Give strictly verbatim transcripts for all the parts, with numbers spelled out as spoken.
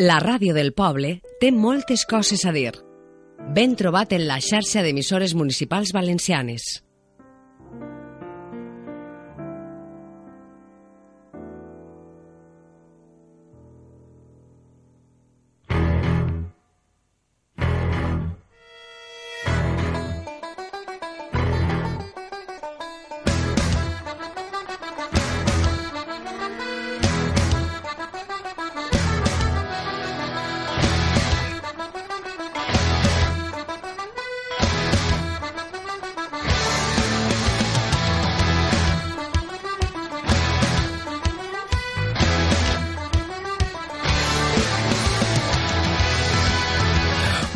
La ràdio del poble té moltes coses a dir. Ben trobat en la xarxa d'emissores municipals valencianes.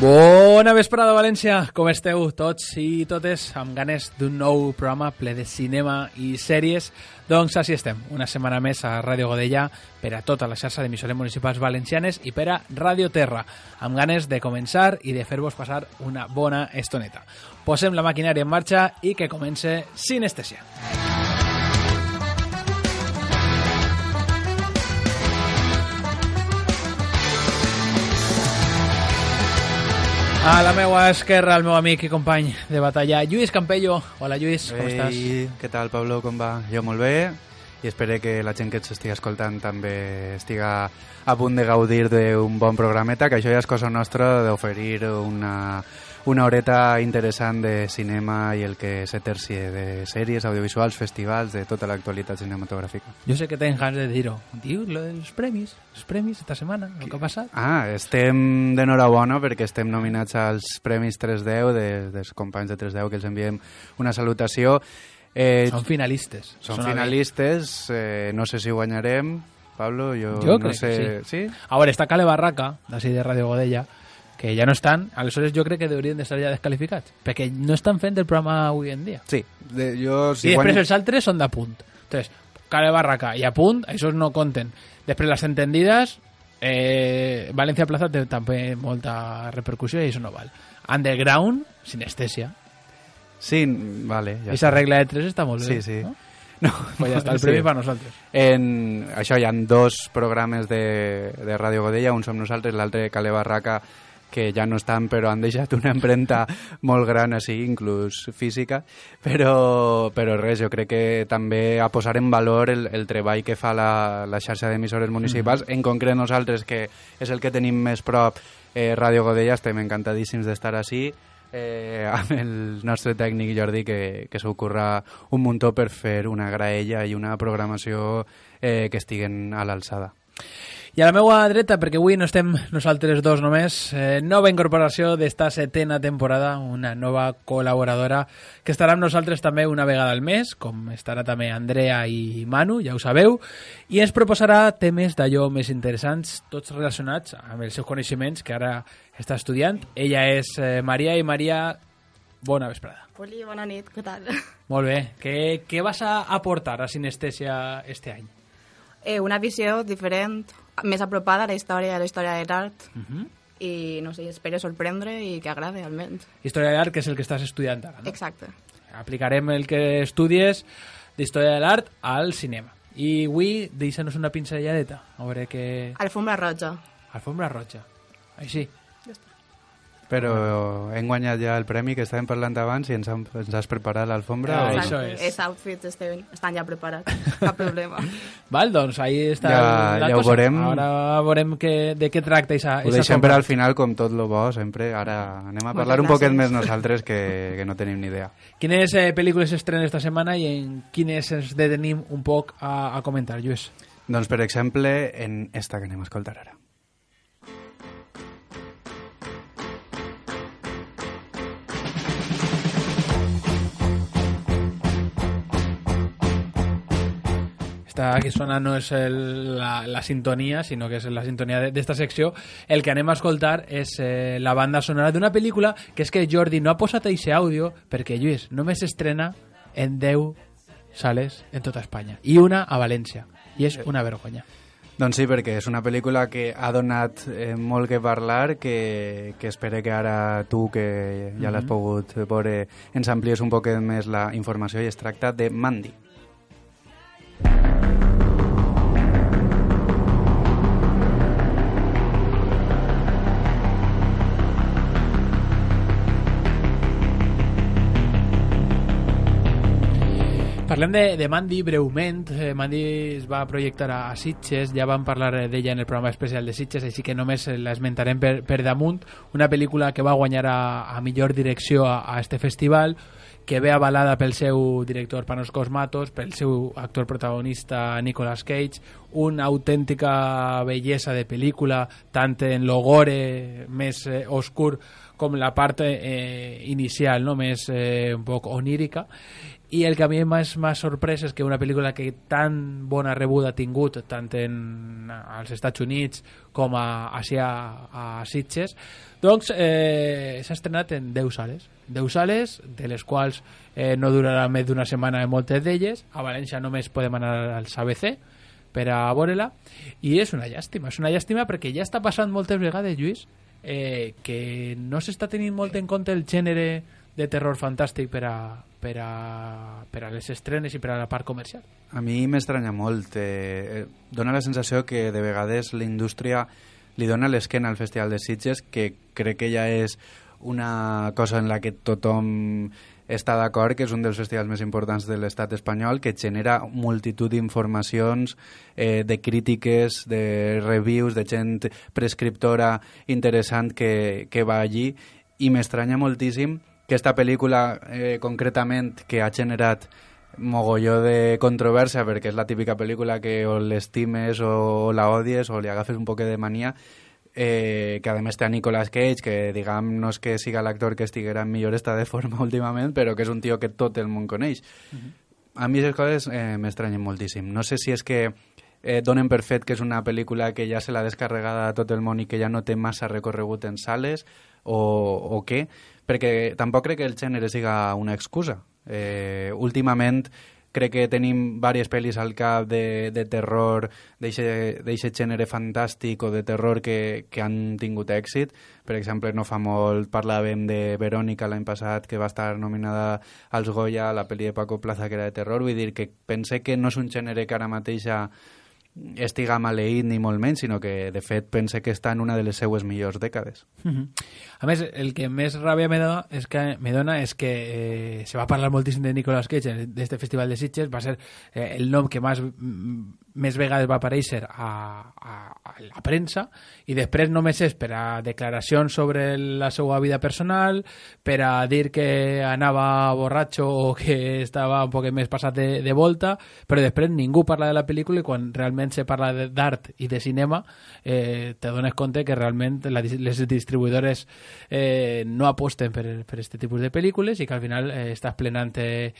Bona vesprada, València! Com esteu tots i totes? Amb ganes d'un nou programa ple de cinema i sèries. Doncs així estem, una setmana més a Ràdio Godella per a tota la xarxa d'emissores municipals valencianes i per a Ràdio Terra, amb ganes de començar i de fer-vos passar una bona estoneta. Posem la maquinària en marxa i que comence Sinestèsia. A la meva esquerra, el meu amic i company de batalla, Lluís Campello. Hola, Lluís, com Ei, estàs? Què tal, Pablo, com va? Jo molt bé i espero que la gent que ens estigui escoltant també estiga a punt de gaudir d'un bon programeta, que això ja és cosa nostra d'oferir una, una horeta interessant de cinema i el que se tercie de sèries, audiovisuals, festivals, de tota l'actualitat cinematogràfica. Jo sé que tens ganes de dir-ho. Diu, lo dels premis, els premis esta setmana, el que ha passat. Ah, estem d'enhorabona perquè estem nominats als Premis tres deu de, dels companys de tres deu, que els enviem una salutació. Eh, Són finalistes. Són Sona finalistes, eh, no sé si guanyarem, Pablo, jo, Jo no crec sé... que sí. ¿Sí? A veure, està Cale Barraca, d'ací de Ràdio Godella, que ja no estan, aleshores jo crec que haurien d'estar ja descalificats, perquè no estan fent el programa avui en dia. Sí, de, jo... Si I després guany... els altres són d'apunt. Entonces, Cale Barraca i apunt, això no compten. Després les entendides, eh, València Plaza té també molta repercussió i això no val. Underground, sinestèsia. Sí, vale. Ja Esa regla de tres està molt bé. Sí, sí. No? No, Pues ja està el premi sí. Per nosaltres. En, això hi ha dos programes de, de Ràdio Godella, un som nosaltres, l'altre Cale Barraca, que ja no estan, però han deixat una empremta molt gran així, inclús física, però, però res, jo crec que també a posar en valor el, el treball que fa la, la xarxa d'emissores municipals, mm. en concret nosaltres, que és el que tenim més prop, eh, Ràdio Godella, estem encantadíssims d'estar així, eh, amb el nostre tècnic Jordi, que, que s'ho curra un muntó per fer una graella i una programació eh, que estiguen a l'alçada. I a la meva dreta, perquè avui no estem nosaltres dos només, eh, nova incorporació d'esta setena temporada, una nova col·laboradora que estarà amb nosaltres també una vegada al mes, com estarà també Andrea i Manu, ja ho sabeu, i ens proposarà temes d'allò més interessants, tots relacionats amb els seus coneixements, que ara està estudiant. Ella és eh, Maria, i Maria, bona vesprada. Poli, bona nit, què tal? Molt bé. Què, què vas a aportar a Sinestèsia este any? Eh, una visió diferent, més apropada a la història, a la història de l'art, Uh -huh. i no sé, espero sorprendre i que agrade, almenys. Història de l'art, que és el que estàs estudiant ara, no? Exacte. Aplicarem el que estudies d'història de l'art al cinema. I avui, deixa'ns una pinzelladeta, a veure què... Alfombra roja. Alfombra roja. Així. Però hem guanyat ja el premi que estàvem parlant abans i ens, han, ens has preparat l'alfombra? Ah, o... això és. Els outfits estan, estan ja preparats, cap problema. Val, doncs ahí està Ja- la ja ho cosa. veurem. Ara veurem que, de què tracta esa, Ho esa deixem per alfombra. al final, com tot lo bo, sempre. Ara anem a Moltes parlar un poquet gràcies. més nosaltres, que, que no tenim ni idea. Quines eh, pel·lícules s'estrenen esta setmana i en quines ens detenim un poc a, a comentar, Lluís? Doncs, per exemple, en esta que anem a escoltar ara. Esta que sona no és el, la, la sintonia, sinó que és la sintonia d'esta secció. El que anem a escoltar és eh, la banda sonora d'una pel·lícula que és que Jordi no ha posat eixe àudio perquè, Lluís, només s'estrena en deu sales en tota Espanya i una a València, i és una vergonya. Doncs sí, perquè és una pel·lícula que ha donat eh, molt que parlar, que, que espero que ara tu, que ja l'has pogut veure, ens amplies un poquet més la informació, i es tracta de Mandy. Parlem de, de Mandy breument. Eh, Mandy es va projectar a, a Sitges, ja vam parlar d'ella en el programa especial de Sitges, així que només l'esmentarem per, per damunt. Una pel·lícula que va guanyar a, a millor direcció a, a este festival, que ve avalada pel seu director Panos Cosmatos, pel seu actor protagonista Nicolas Cage, una autèntica bellesa de pel·lícula, tant en lo gore més eh, oscur com la part eh, inicial, no? Més eh, un poc onírica. I el que a mi m'ha sorprès és que una pel·lícula que tan bona rebuda ha tingut tant en, als Estats Units com a, a, a Sitges, doncs eh, s'ha estrenat en deu sales. deu sales, de les quals eh, no durarà més d'una setmana en moltes d'elles. A València només podem anar als A B C per a veure-la, i és una llàstima, és una llàstima perquè ja està passant moltes vegades, Lluís, eh, que no s'està tenint molt en compte el gènere de terror fantàstic per a, per a, per a les estrenes i per a la part comercial. A mi m'estranya molt. Eh, dona la sensació que de vegades la indústria li dona l'esquena al Festival de Sitges, que crec que ja és una cosa en la que tothom està d'acord, que és un dels festivals més importants de l'estat espanyol, que genera multitud d'informacions, eh, de crítiques, de reviews, de gent prescriptora interessant que, que va allí, i m'estranya moltíssim que esta pel·lícula eh, concretament, que ha generat mogolló de controvèrsia, perquè és la típica pel·lícula que o l'estimes o, o la odies o li agafes un poc de mania, eh, que a més té a Nicolas Cage, que diguem no és que siga l'actor que estiguera en millor estat de forma últimament, però que és un tio que tot el món coneix. Uh-huh. A mi aquestes coses eh, m'estranyen moltíssim. No sé si és que eh, donen per fet que és una pel·lícula que ja se l'ha descarregada a tot el món i que ja no té massa recorregut en sales, o, o què, perquè tampoc crec que el gènere siga una excusa. Eh, últimament crec que tenim diverses pel·lis al cap de, de terror, d'aquest gènere fantàstic o de terror que, que han tingut èxit. Per exemple, no fa molt parlàvem de Verònica l'any passat, que va estar nominada als Goya, la pel·li de Paco Plaza, que era de terror. Vull dir que pense que no és un gènere que ara mateix estiga maleït ni molt menys, sinó que de fet pense que està en una de les seues millors dècades. Uh-huh. A més, el que més ràbia me dona és que, me dona és que eh, se va parlar moltíssim de Nicolas Cage d'este festival de Sitges, va ser eh, el nom que més, més vegades va aparèixer a, a, a la premsa, i després només és per a declaracions sobre la seva vida personal, per a dir que anava borratxo o que estava un poc més passat de, de volta, però després ningú parla de la pel·lícula, i quan realment se parla d'art i de cinema eh, te dones compte que realment la, les distribuïdores eh, no aposten per, per este tipus de pel·lícules, i que al final eh, estàs plenant eh,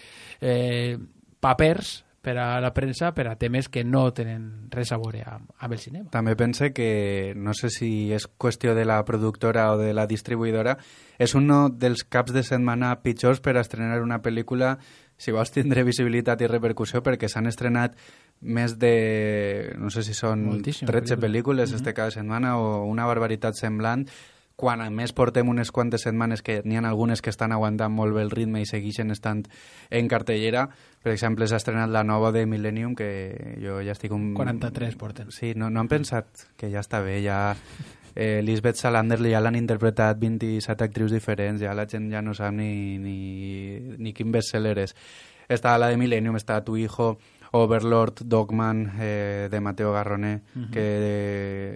eh, papers per a la premsa per a temes que no tenen res a veure amb, amb el cinema. També pense que, no sé si és qüestió de la productora o de la distribuïdora, és un dels caps de setmana pitjors per a estrenar una pel·lícula, si vols tindre visibilitat i repercussió, perquè s'han estrenat més de, no sé si són moltíssimes tretze pel·lícules uh-huh. este cada setmana, o una barbaritat semblant, quan a més portem unes quantes setmanes que n'hi ha algunes que estan aguantant molt bé el ritme i segueixen estant en cartellera. Per exemple, s'ha estrenat la nova de Millennium, que jo ja estic un... quaranta-tres porten. Sí, no, no han pensat que ja està bé, ja... Eh, Lisbeth Salander ja l'han interpretat vint-i-set actrius diferents, ja la gent ja no sap ni, ni, ni quin bestseller és. Està la de Millennium, està Tu Hijo, Overlord, Dogman, eh, de Mateo Garroné, uh-huh. que,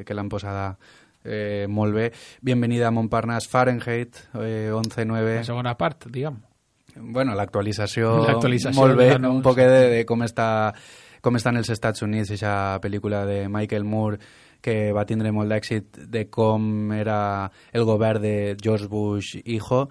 que l'han posada eh, molt bé. Bienvenida a Montparnasse, Fahrenheit, eh, onze nueve. La segona part, diguem. Bueno, l'actualització, l'actualització molt bé, no, un poc de, de com està com estan els Estats Units, aquesta pel·lícula de Michael Moore, que va tindre molt d'èxit, de com era el govern de George Bush hijo,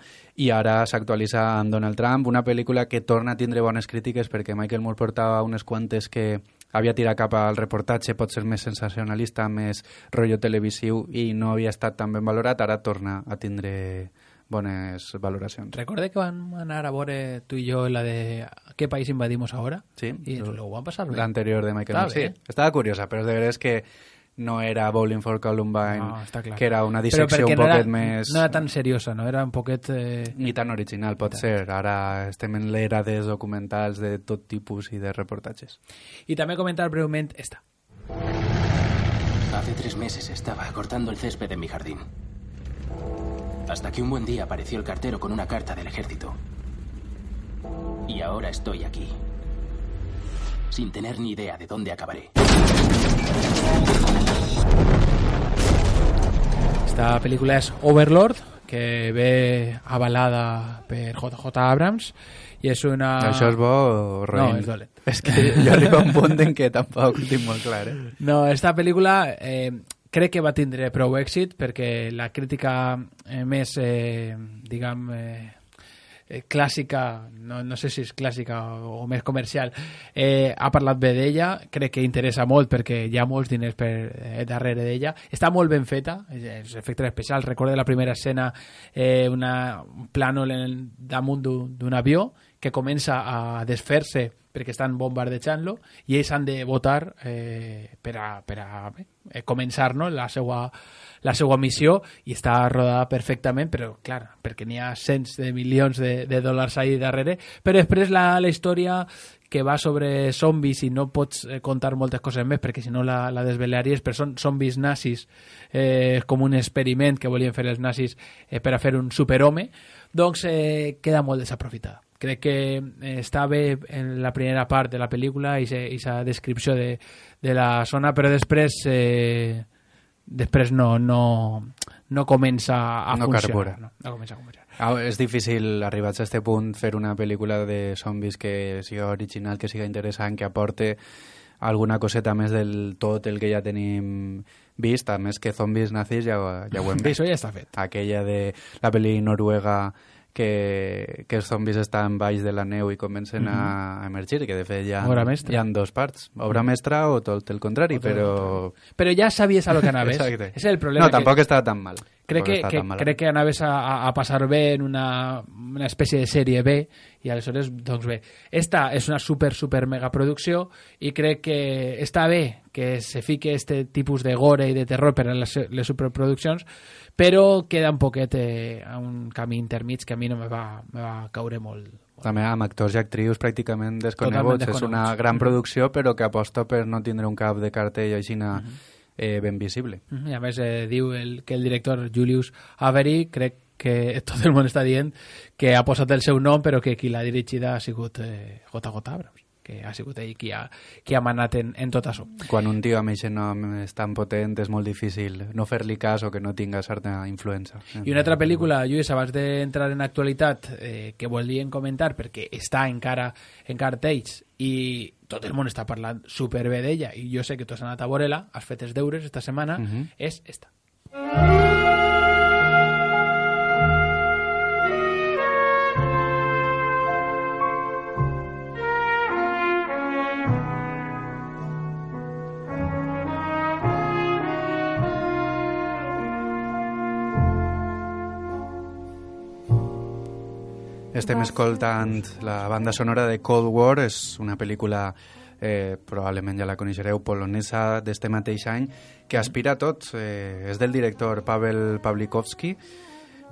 i ara s'actualitza amb Donald Trump, una pel·lícula que torna a tindre bones crítiques perquè Michael Moore portava unes quantes que havia tirat cap al reportatge, pot ser més sensacionalista, més rotllo televisiu, i no havia estat tan ben valorat. Ara torna a tindre bones valoracions. Recorde que van anar a veure tu i jo la de ¿Qué país invadimos ahora? Sí. I lo van passar bé. L'anterior de Michael Moore, sí. Estava curiosa, però és de veres que no era Bowling for Columbine, no, que era una dissecció un no poquet era, més... No era tan seriosa, no? Era un poquet... Eh... Ni tan original, pot ser. Ara estem en l'era de documentals de tot tipus i de reportatges. I també comentar breument esta. Hace tres meses estaba cortando el césped en mi jardín. Hasta que un buen día apareció el cartero con una carta del ejército. Y ahora estoy aquí. sin tener ni idea de dónde acabaré. Esta pel·lícula és Overlord, que ve avalada per J J Abrams, i és una... Això és bo o roïn? No, és dolent. És que jo arribo a un punt en què tampoc ho tinc molt clar, eh? No, esta pel·lícula eh, crec que va tindre prou èxit perquè la crítica eh, més, eh, diguem... Eh, Eh, clàssica, no, no sé si és clàssica o, o més comercial, eh, ha parlat bé d'ella, crec que interessa molt perquè hi ha molts diners per, eh, darrere d'ella, està molt ben feta, els efectes especials, recordo la primera escena, eh, una, un plànol en, damunt d'un avió que comença a desfer-se perquè estan bombardejant-lo i ells han de votar eh, per a, per a bé, eh, començar, no?, la seva la seva missió, i està rodada perfectament, però clar, perquè n'hi ha cents de milions de, de dòlars ahí darrere, però després la, la història que va sobre zombis i no pots eh, contar moltes coses més perquè si no la, la desvelaries, però són zombis nazis, eh, com un experiment que volien fer els nazis eh, per a fer un superhome, doncs eh, queda molt desaprofitada. Crec que eh, està bé en la primera part de la pel·lícula i aquesta descripció de, de la zona, però després eh, després no, no, no comença a no funcionar. No, no comença a funcionar. Ah, és difícil, arribats a aquest punt, fer una pel·lícula de zombis que siga original, que siga interessant, que aporte alguna coseta més del tot el que ja tenim vist, a més que zombis nazis ja, ja ho hem vist. Això ja està fet. Aquella de la pel·li noruega que, que els zombis estan baix de la neu i comencen mm-hmm. a emergir, que de fet hi ha, hi ha dos parts. Obra mestra o tot el contrari, o tot però... Però ja sabies a lo que anaves. Exacte. És el problema. No, tampoc que... estava tan mal. Crec que, que, crec que anaves a, a passar bé en una, una espècie de sèrie B i aleshores, doncs bé, esta és una super, super mega producció i crec que està bé que se fique este tipus de gore i de terror per a les, les superproduccions, però queda un poquet eh, a un camí intermig que a mi no me va, me va caure molt. També amb actors i actrius pràcticament desconeguts. És una gran producció però que aposta per no tindre un cap de cartell així na... Mm-hmm. Eh, ben visible. I a més eh, diu el, que el director Julius Avery, crec que tot el món està dient que ha posat el seu nom però que qui l'ha dirigida ha sigut eh, J J Abrams, que ha sigut ell qui ha, qui ha manat en, en tot això. Quan un tio amb aquest nom és tan potent és molt difícil no fer-li cas o que no tinga certa influència. I una altra pel·lícula, Lluís, abans d'entrar en actualitat, eh, que volien comentar perquè està encara en cartells i tot el món està parlant superbé d'ella i jo sé que tu has anat a veure-la, has fet els deures esta setmana, uh-huh. és esta. Estem escoltant la banda sonora de Cold War, és una pel·lícula, eh, probablement ja la coneixereu, polonesa d'este mateix any, que aspira a tot. Eh, és del director Pavel Pawlikowski,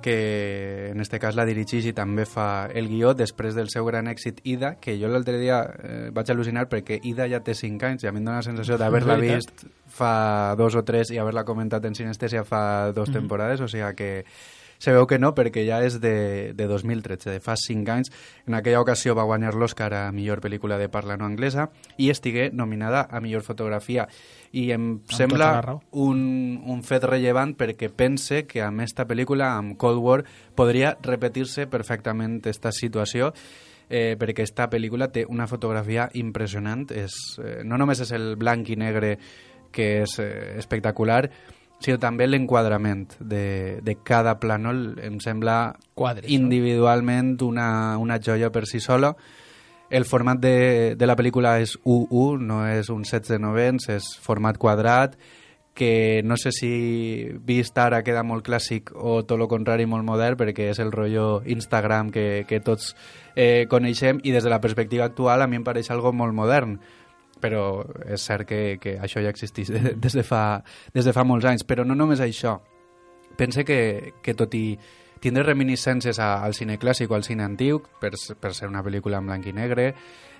que en este cas la dirigeix i també fa el guió després del seu gran èxit Ida, que jo l'altre dia eh, vaig al·lucinar perquè Ida ja té cinc anys i a mi em dóna la sensació d'haver-la vist fa dos o tres i haver-la comentat en Sinestèsia fa dos mm-hmm. temporades, o sigui que se veu que no, perquè ja és de, de dos mil tretze, de fa cinc anys. En aquella ocasió va guanyar l'Oscar a millor pel·lícula de parla no anglesa i estigué nominada a millor fotografia. I em amb sembla un, un fet rellevant perquè pense que amb esta pel·lícula, amb Cold War, podria repetir-se perfectament esta situació, eh, perquè esta pel·lícula té una fotografia impressionant. És, eh, no només és el blanc i negre, que és eh, espectacular, sinó també l'enquadrament de, de cada plànol. Em sembla Quadres, individualment una, una joia per si sola. El format de, de la pel·lícula és u u, no és un setze novens, és format quadrat, que no sé si vist ara queda molt clàssic o tot el contrari molt modern, perquè és el rotllo Instagram que, que tots eh, coneixem, i des de la perspectiva actual a mi em pareix algo molt modern. Però és cert que, que això ja existeix des de, fa, des de fa molts anys. Però no només això. Pense que, que tot i tindre reminiscències a, al cine clàssic o al cine antic, per, per ser una pel·lícula en blanc i negre,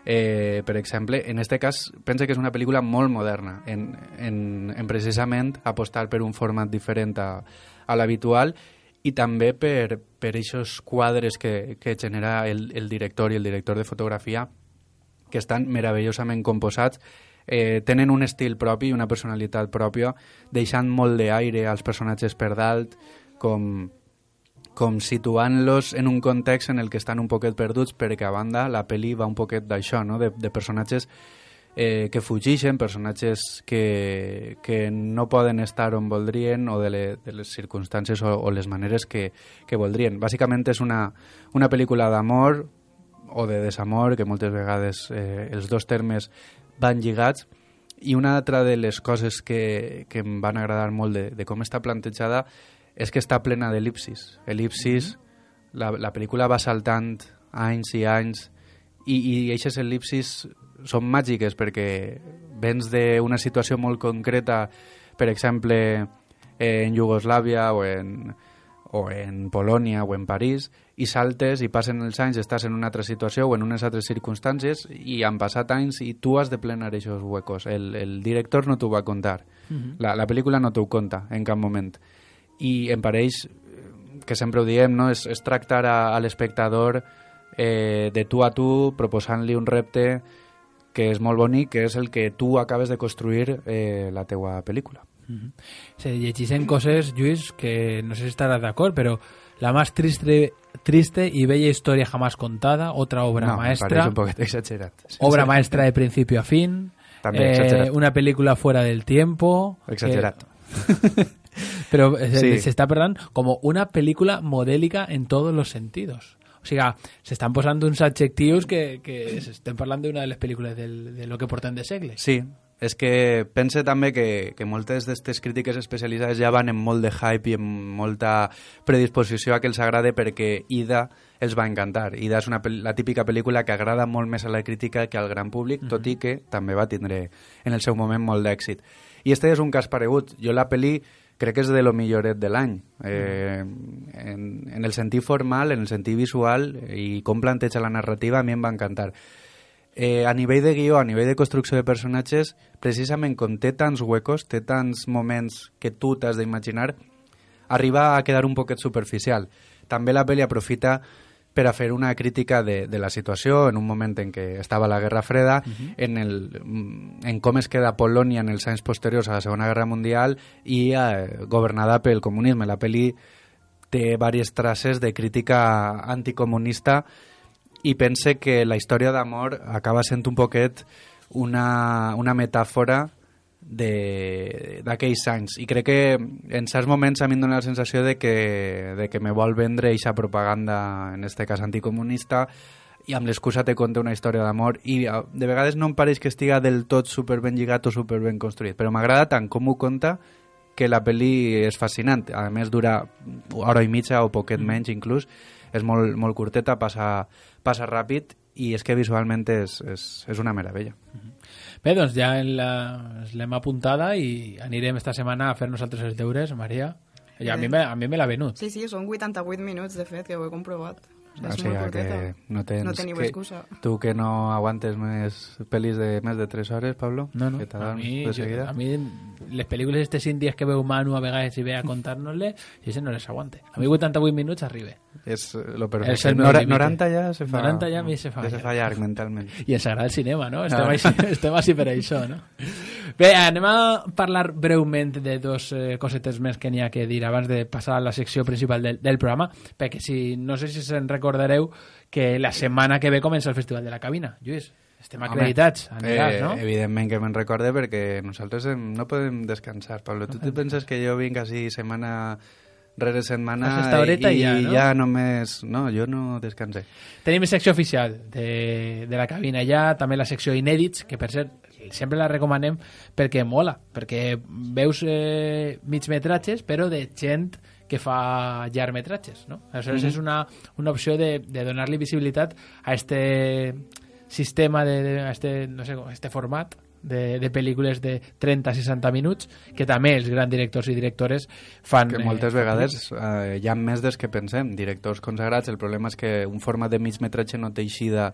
eh, per exemple, en aquest cas pense que és una pel·lícula molt moderna, en, en, en precisament apostar per un format diferent a, a l'habitual, i també per, per aquests quadres que, que genera el, el director i el director de fotografia, que estan meravellosament composats, eh, tenen un estil propi, una personalitat pròpia, deixant molt d'aire als personatges per dalt, com, com situant-los en un context en el que estan un poquet perduts, perquè a banda la pel·li va un poquet d'això, no? de, de personatges eh, que fugixen, personatges que, que no poden estar on voldrien o de, le, de les circumstàncies o, o les maneres que, que voldrien. Bàsicament és una, una pel·lícula d'amor o de desamor, que moltes vegades eh, els dos termes van lligats, i una altra de les coses que, que em van agradar molt de, de com està plantejada és que està plena d'elipsis. Elipsis, mm-hmm. la, la pel·lícula va saltant anys i anys, i, i aquestes elipsis són màgiques perquè vens d'una situació molt concreta, per exemple, en Iugoslàvia o en, o en Polònia o en París, i saltes i passen els anys, estàs en una altra situació o en unes altres circumstàncies i han passat anys i tu has de plenar aquests huecos. El, el director no t'ho va contar. Uh-huh. La, la pel·lícula no t'ho conta en cap moment. I em pareix, que sempre ho diem, no? és, és tractar a, a l'espectador eh, de tu a tu, proposant-li un repte que és molt bonic, que és el que tu acabes de construir eh, la teua pel·lícula. Uh-huh. Se llegeixen coses, Lluís, que no sé si estaràs d'acord, però la más triste, triste y bella historia jamás contada, otra obra no, maestra. Me parece un poquito exagerat. Obra maestra de principio a fin. También eh, exagerat. Una película fuera del tiempo. Exagerat. Que, pero se, sí. se está perdant como una película modélica en todos los sentidos. O sea, se están posando uns adjectius que, que se estem parlant d'una de les pel·lícules del, de lo que portem de segle. Sí, és que pense també que, que moltes d'aquestes crítiques especialitzades ja van en molt de hype i en molta predisposició a que els agrade perquè Ida els va encantar. Ida és una, la típica pel·lícula que agrada molt més a la crítica que al gran públic, uh-huh. tot i que també va tindre en el seu moment molt d'èxit. I este és un cas paregut. Jo la pel·li crec que és de lo milloret de l'any. Eh, en, en el sentit formal, en el sentit visual i com planteja la narrativa, a mi em va encantar. Eh, a nivell de guió, a nivell de construcció de personatges, precisament com té tants huecos, té tants moments que tu t'has d'imaginar, arriba a quedar un poquet superficial. També la pel·li aprofita per a fer una crítica de, de la situació en un moment en què estava la Guerra Freda, uh-huh. en, el, en com es queda Polònia en els anys posteriors a la Segona Guerra Mundial i eh, governada pel comunisme. La pel·li té diverses traces de crítica anticomunista i pense que la història d'amor acaba sent un poquet una, una metàfora d'aquells anys. I crec que en certs moments a mi em dona la sensació de que, de que me vol vendre eixa propaganda, en este cas anticomunista, i amb l'excusa te conta una història d'amor. I de vegades no em pareix que estiga del tot super ben lligat o super ben construït, però m'agrada tant com ho conta que la pel·li és fascinant. A més, dura hora i mitja o poquet menys inclús. És molt, molt curteta, passa, passa ràpid i és que visualment és, és, és una meravella. Bé, doncs ja l'hem apuntada i anirem esta setmana a fer nosaltres els deures, Maria. I a mi me, a mi me l'ha venut. Sí, sí, són vuitanta-vuit minuts, de fet, que ho he comprovat. O sigui, O és sigui, molt curteta. que no, tens, No teniu que, excusa. Tu que no aguantes més pel·lis de més de tres hores, Pablo? No, no. Que A mi, de jo, seguida? a mi les pel·lícules estes índies que veu Manu a vegades i ve a contar-nos-le, i això no les aguante. A mi vuitanta-vuit minuts arriba. És lo perfecte. És el meu Nora, límite. noranta ja se fa... noranta ja a mi se fa Ja se llarg. fa llarg mentalment. I ens agrada el cinema, no? Estem, Ah. així, estem així per això, no? Bé, anem a parlar breument de dos eh, cosetes més que n'hi ha que dir abans de passar a la secció principal del, del programa, perquè si no sé si se'n recordareu que la setmana que ve comença el Festival de la Cabina. Lluís, estem acreditats, aniràs, eh, no? Evidentment que me'n recorde perquè nosaltres hem, no podem descansar, Pablo. Tu te penses que jo vinc així setmana rere setmana Fas esta horeta i, i ja, i no? ja només... No, jo no descansé. Tenim secció oficial de, de la cabina ja, també la secció inèdits, que per cert sempre la recomanem perquè mola, perquè veus eh, migmetratges però de gent que fa llargmetratges, no? Aleshores mm-hmm. és una, una opció de, de donar-li visibilitat a este sistema, de, de, a este, no sé, a este format de, de pel·lícules de trenta a seixanta minuts que també els grans directors i directores fan... Que moltes eh, vegades eh, hi ha més des que pensem, directors consagrats. El problema és que un format de mig metratge no té eixida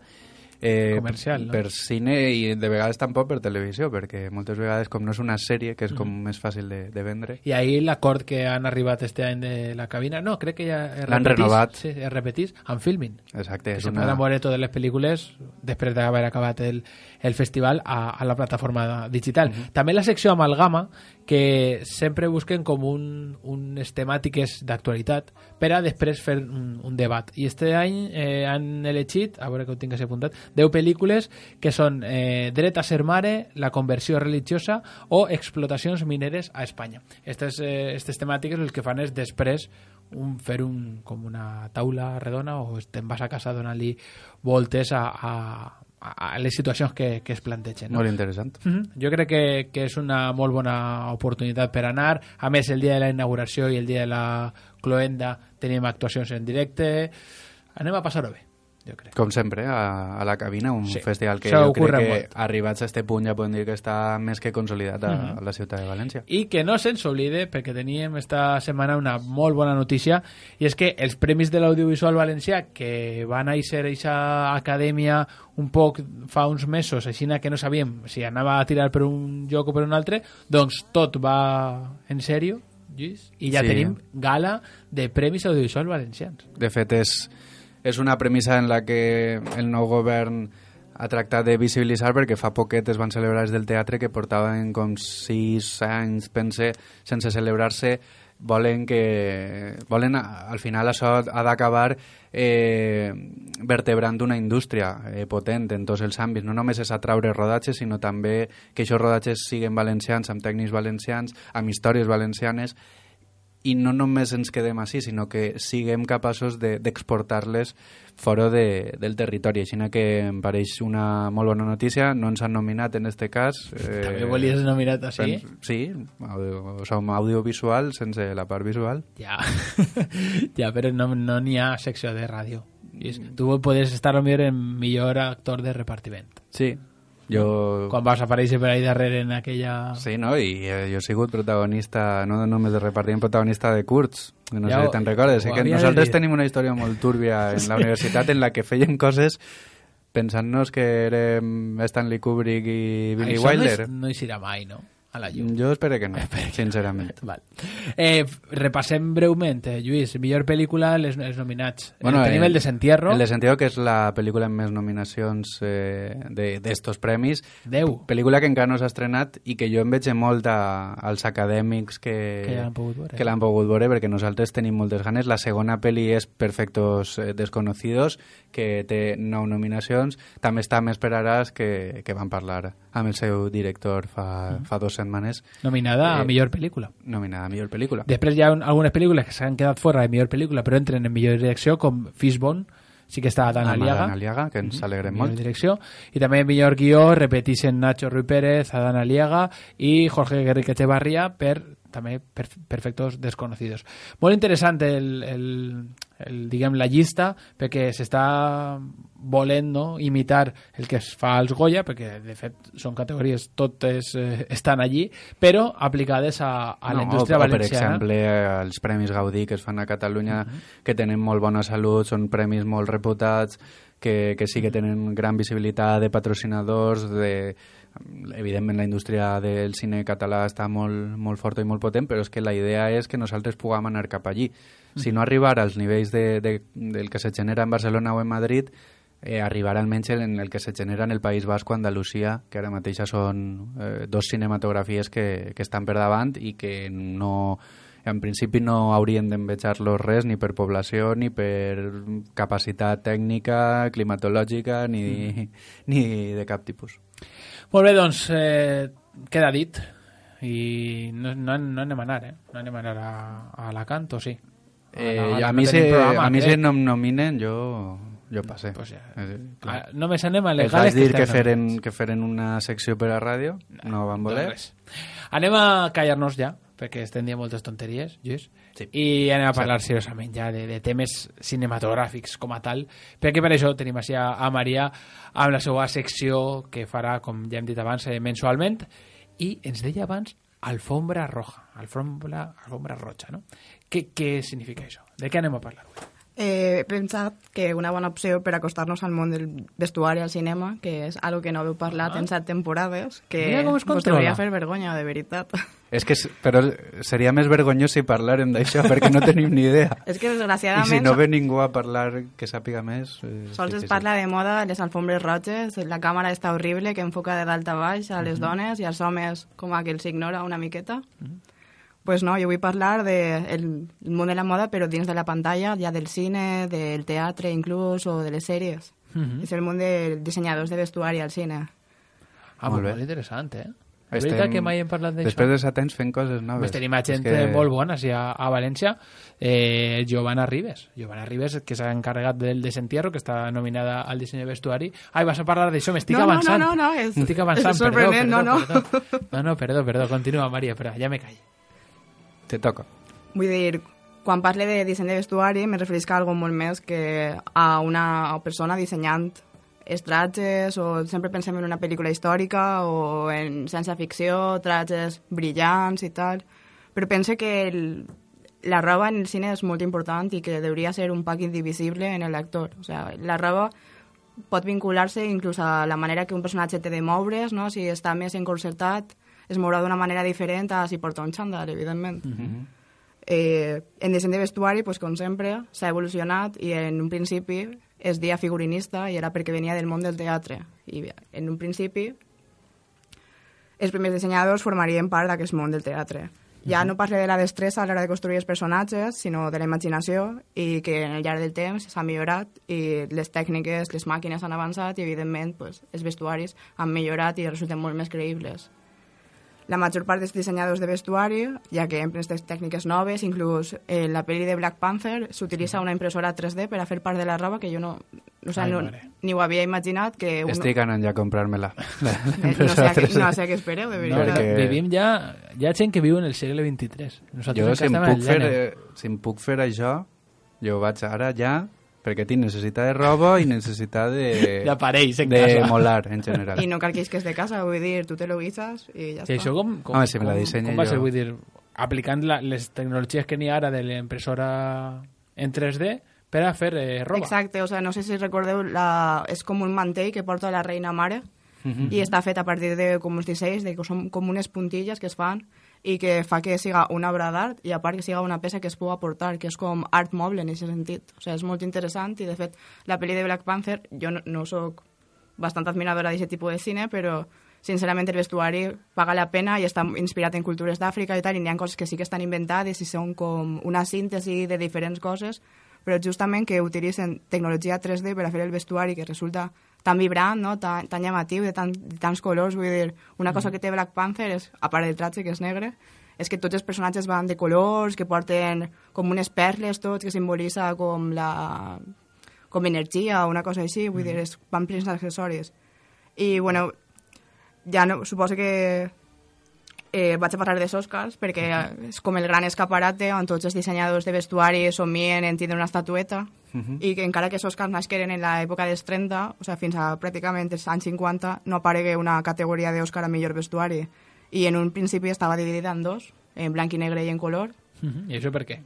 eh, comercial, no? per cine i de vegades tampoc per televisió, perquè moltes vegades com no és una sèrie, que és com mm. més fàcil de, de vendre. I ahir l'acord que han arribat este any de la cabina, no, crec que ja es l'han repetís, renovat. sí, es repetís amb Filmin. Exacte. Que És se una... poden veure totes les pel·lícules després d'haver acabat el, el festival a, a la plataforma digital. Mm -hmm. També la secció Amalgama, que sempre busquen com un, unes temàtiques d'actualitat per a després fer un, un debat. I este any eh, han elegit, a veure que ho tinc així apuntat, deu pel·lícules que són eh, Dret a ser mare, La conversió religiosa o Explotacions mineres a Espanya. Estes, eh, estes temàtiques el que fan és després un, fer un, com una taula redona o te'n vas a casa donant-li voltes a, a, a les situacions que, que es plantegen. No? Molt interessant. Mm-hmm. Jo crec que, que és una molt bona oportunitat per anar. A més, el dia de la inauguració i el dia de la cloenda tenim actuacions en directe. Anem a passar-ho bé, jo crec. Com sempre, a, a la cabina, un sí. festival que Això jo crec que molt. arribats a este punt ja podem dir que està més que consolidat a, Mm-hmm. a la ciutat de València. I que no se'ns oblide, perquè teníem esta setmana una molt bona notícia, i és que els Premis de l'Audiovisual Valencià, que van a ser aquesta acadèmia un poc fa uns mesos, així que no sabíem si anava a tirar per un lloc o per un altre, doncs tot va en sèrio, Lluís, i ja Sí. tenim gala de Premis Audiovisual Valencians. De fet, és, és una premissa en la que el nou govern ha tractat de visibilitzar, perquè fa poquet es van celebrar els del teatre que portaven com sis anys, pense, sense celebrar-se. Volen que volen al final això ha d'acabar eh, vertebrant una indústria eh, potent en tots els àmbits. No només és atraure rodatges, sinó també que aquests rodatges siguin valencians, amb tècnics valencians, amb històries valencianes, i no només ens quedem així, sinó que siguem capaços d'exportar-les de, fora de, del territori. Així que em pareix una molt bona notícia. No ens han nominat en este cas. Eh, També volies nominat així? Pens, sí, audio, som audiovisual sense la part visual. Ja, ja però no n'hi no ha secció de ràdio. Tu podes estar potser en millor actor de repartiment. Sí. Jo... Quan vas aparèixer per ahí darrere en aquella... Sí, no? I eh, jo he sigut protagonista, no només de repartiment, protagonista de curts, que no ja sé si te'n recordes. Que nosaltres tenim una història molt túrbia en sí. la universitat en la que fèiem coses pensant-nos que érem Stanley Kubrick i Billy Això Wilder. No, no hi serà mai, no? A la llum. Jo espero que no, sincerament. Val. Eh, repassem breument, eh, Lluís, millor pel·lícula, els, els nominats. Bueno, eh, tenim el, el Desentierro. El Desentierro, que és la pel·lícula amb més nominacions eh, d'estos de, premis. Deu. Pel·lícula que encara no s'ha estrenat i que jo em veig molt a, als acadèmics que, que l'han pogut veure. Que l'han pogut veure, perquè nosaltres tenim moltes ganes. La segona pel·li és Perfectos eh, Desconocidos, que té nou nominacions. També està Més esperaràs, que, que van parlar amb el seu director fa, mm. fa dos setmanes. Nominada eh, a millor pel·lícula. Nominada a millor pel·lícula. Després hi ha un, algunes pel·lícules que s'han quedat fora de millor pel·lícula, però entren en millor direcció, com Fishbone, sí que està Dan Aliaga. Dan Aliaga, que ens alegrem millor molt. Direcció. I també millor guió, repeteixen Nacho Ruiz Pérez, Adán Aliaga i Jorge Guerrique Echevarría per també per Perfectos Desconocidos. Molt interessant el, el, el, diguem, la llista, perquè s'està volent, no, imitar el que es fa als Goya, perquè de fet són categories, totes eh, estan allí, però aplicades a, a no, la indústria o, valenciana. Per exemple, els Premis Gaudí que es fan a Catalunya, uh -huh. que tenen molt bona salut, són premis molt reputats, que, que sí que tenen gran visibilitat de patrocinadors, de... Evidentment la indústria del cine català està molt, molt forta i molt potent, però és que la idea és que nosaltres puguem anar cap allí. Si no arribar als nivells de, de, del que se genera en Barcelona o en Madrid, eh, arribar almenys en el que se genera en el País Basc o Andalusia, que ara mateix són eh, dos cinematografies que, que estan per davant i que no... en principi no haurien d'envejar-los res ni per població, ni per capacitat tècnica, climatològica, ni, mm. ni de cap tipus. Molt bé, doncs eh, queda dit i no, no, no anem a anar, eh? No anem a anar a, a Alacant, o sí? A, Eh, la, a no mi, tenim se, programa, a mi crec. si no em nominen, jo, jo passé. Pues ja, Eh, ah, només anem a les Els vaig gales dir que estem feren, nominats. que feren una secció per a ràdio, no van voler. Doncs res. Anem a callar-nos ja, perquè estem dient moltes tonteries, Lluís, Sí. i anem a parlar seriosament ja de, de temes cinematogràfics com a tal, perquè per això tenim així a, a Maria amb la seva secció que farà, com ja hem dit abans, eh, mensualment, i ens deia abans alfombra roja, alfombra, alfombra roja, no? Què, què significa això? De què anem a parlar avui? Eh, he pensat que una bona opció per acostar-nos al món del vestuari al cinema, que és algo que no heu parlat Ah. en set temporades, que Mira com es vos controla. hauria fer vergonya, de veritat. És que, s- però seria més vergonyós si parlàrem d'això, perquè no tenim ni idea. És que, I desgraciadament, si no ve ningú a parlar que sàpiga més... Eh, sols es difícil. parla de moda, les alfombres roges, la càmera està horrible, que enfoca de dalt a baix a les dones i als homes com a que els ignora una miqueta. Pues no, jo vull parlar del de el món de la moda, però dins de la pantalla, ja del cine, del teatre inclús, o de les sèries. Mhm. És el món dels dissenyadors de vestuari al cine. Ah, Molt molt, bé. molt interessant, eh? És Estem- veritat que mai hem parlat d'això. Després de set anys fent coses noves. Pues tenim a gent És que... molt bona sí, a, a València, eh, Giovanna Ribes Giovanna Ribes, que s'ha encarregat del Desentierro, que està nominada al disseny de vestuari. Ai, vas a parlar d'això, m'estic No, no, avançant no, no, no, és- estic avançant, és perdó, sorprenent, perdó, no, no. perdó. no, no, perdó, perdó, continua, Maria, però ja me callo. Te toca. Vull dir, quan parle de disseny de vestuari me referisc a algo molt més que a una persona dissenyant els trajes, o sempre pensem en una pel·lícula històrica o en ciència-ficció, trajes brillants i tal, però pense que el, la roba en el cine és molt important i que hauria ser un pack indivisible en el lector. O sea, la roba pot vincular-se inclús a la manera que un personatge té de moure's, no? Si està més encorsetat, es mourà d'una manera diferent a si porta un xandall, evidentment. Mhm. Eh, en disseny de vestuari, pues, com sempre, s'ha evolucionat i en un principi es deia figurinista i era perquè venia del món del teatre. I en un principi els primers dissenyadors formarien part d'aquest món del teatre. Ja no parle de la destressa a l'hora de construir els personatges, sinó de la imaginació, i que en el llarg del temps s'ha millorat i les tècniques, les màquines han avançat i, evidentment, pues, els vestuaris han millorat i resulten molt més creïbles. La major part dels dissenyadors de vestuari, ja que empren aquestes tècniques noves, inclús en la pel·li de Black Panther s'utilitza una impressora tres D per a fer part de la roba, que jo no, o sea, Ai, no mare. ni ho havia imaginat. Que uno, Estic anant ja a comprar-me-la. eh, no, sé a què, no sé a què espereu, de No, veritat. perquè- vivim ja... Hi ha gent que viu en el segle vint-i-tres. Nosaltres Jo, encara si em, estem en puc el fer, gener. eh, si em puc fer això, jo vaig ara ja, perquè tinc necessitat de roba i necessitat de... D'aparells en de casa. molar, en general. I no cal que isques de casa, vull dir, tu te lo guisas i ja Sí, està. això com, com, Home, si me la com, dissenya com va jo. ser, vull dir, aplicant la, les tecnologies que n'hi ha ara de l'impressora en tres D per a fer eh, roba. Exacte, o sea, no sé si recordeu, la, és com un mantell que porta la reina mare i està fet a partir de com uns dissenys, de que són com unes puntilles que es fan i que fa que siga una obra d'art i a part que siga una peça que es pugui aportar, que és com art moble en aquest sentit. O sea, és molt interessant i de fet la pel·li de Black Panther, jo no, no sóc bastant admiradora d'aquest tipus de cine, però sincerament el vestuari paga la pena i està inspirat en cultures d'Àfrica i tal, i hi ha coses que sí que estan inventades i són com una síntesi de diferents coses, però justament que utilitzen tecnologia tres D per a fer el vestuari que resulta tan vibrant, no? tan, tan llamatiu, de, tan, de tants colors, vull dir, una cosa que té Black Panther, és, a part del tratge que és negre, és que tots els personatges van de colors, que porten com unes perles tots, que simbolitza com la com energia o una cosa així, vull dir, és, van plens d'accessoris. I, bueno, ja no, suposo que eh, vaig a parlar dels Oscars perquè és com el gran escaparate on tots els dissenyadors de vestuari somien en tindre una estatueta i que encara que els Oscars nasqueren en l'època dels trenta, o sea, fins a pràcticament els anys cinquanta, no aparegué una categoria d'Oscar a millor vestuari. I en un principi estava dividida en dos, en blanc i negre i en color, Mhm. I això per què?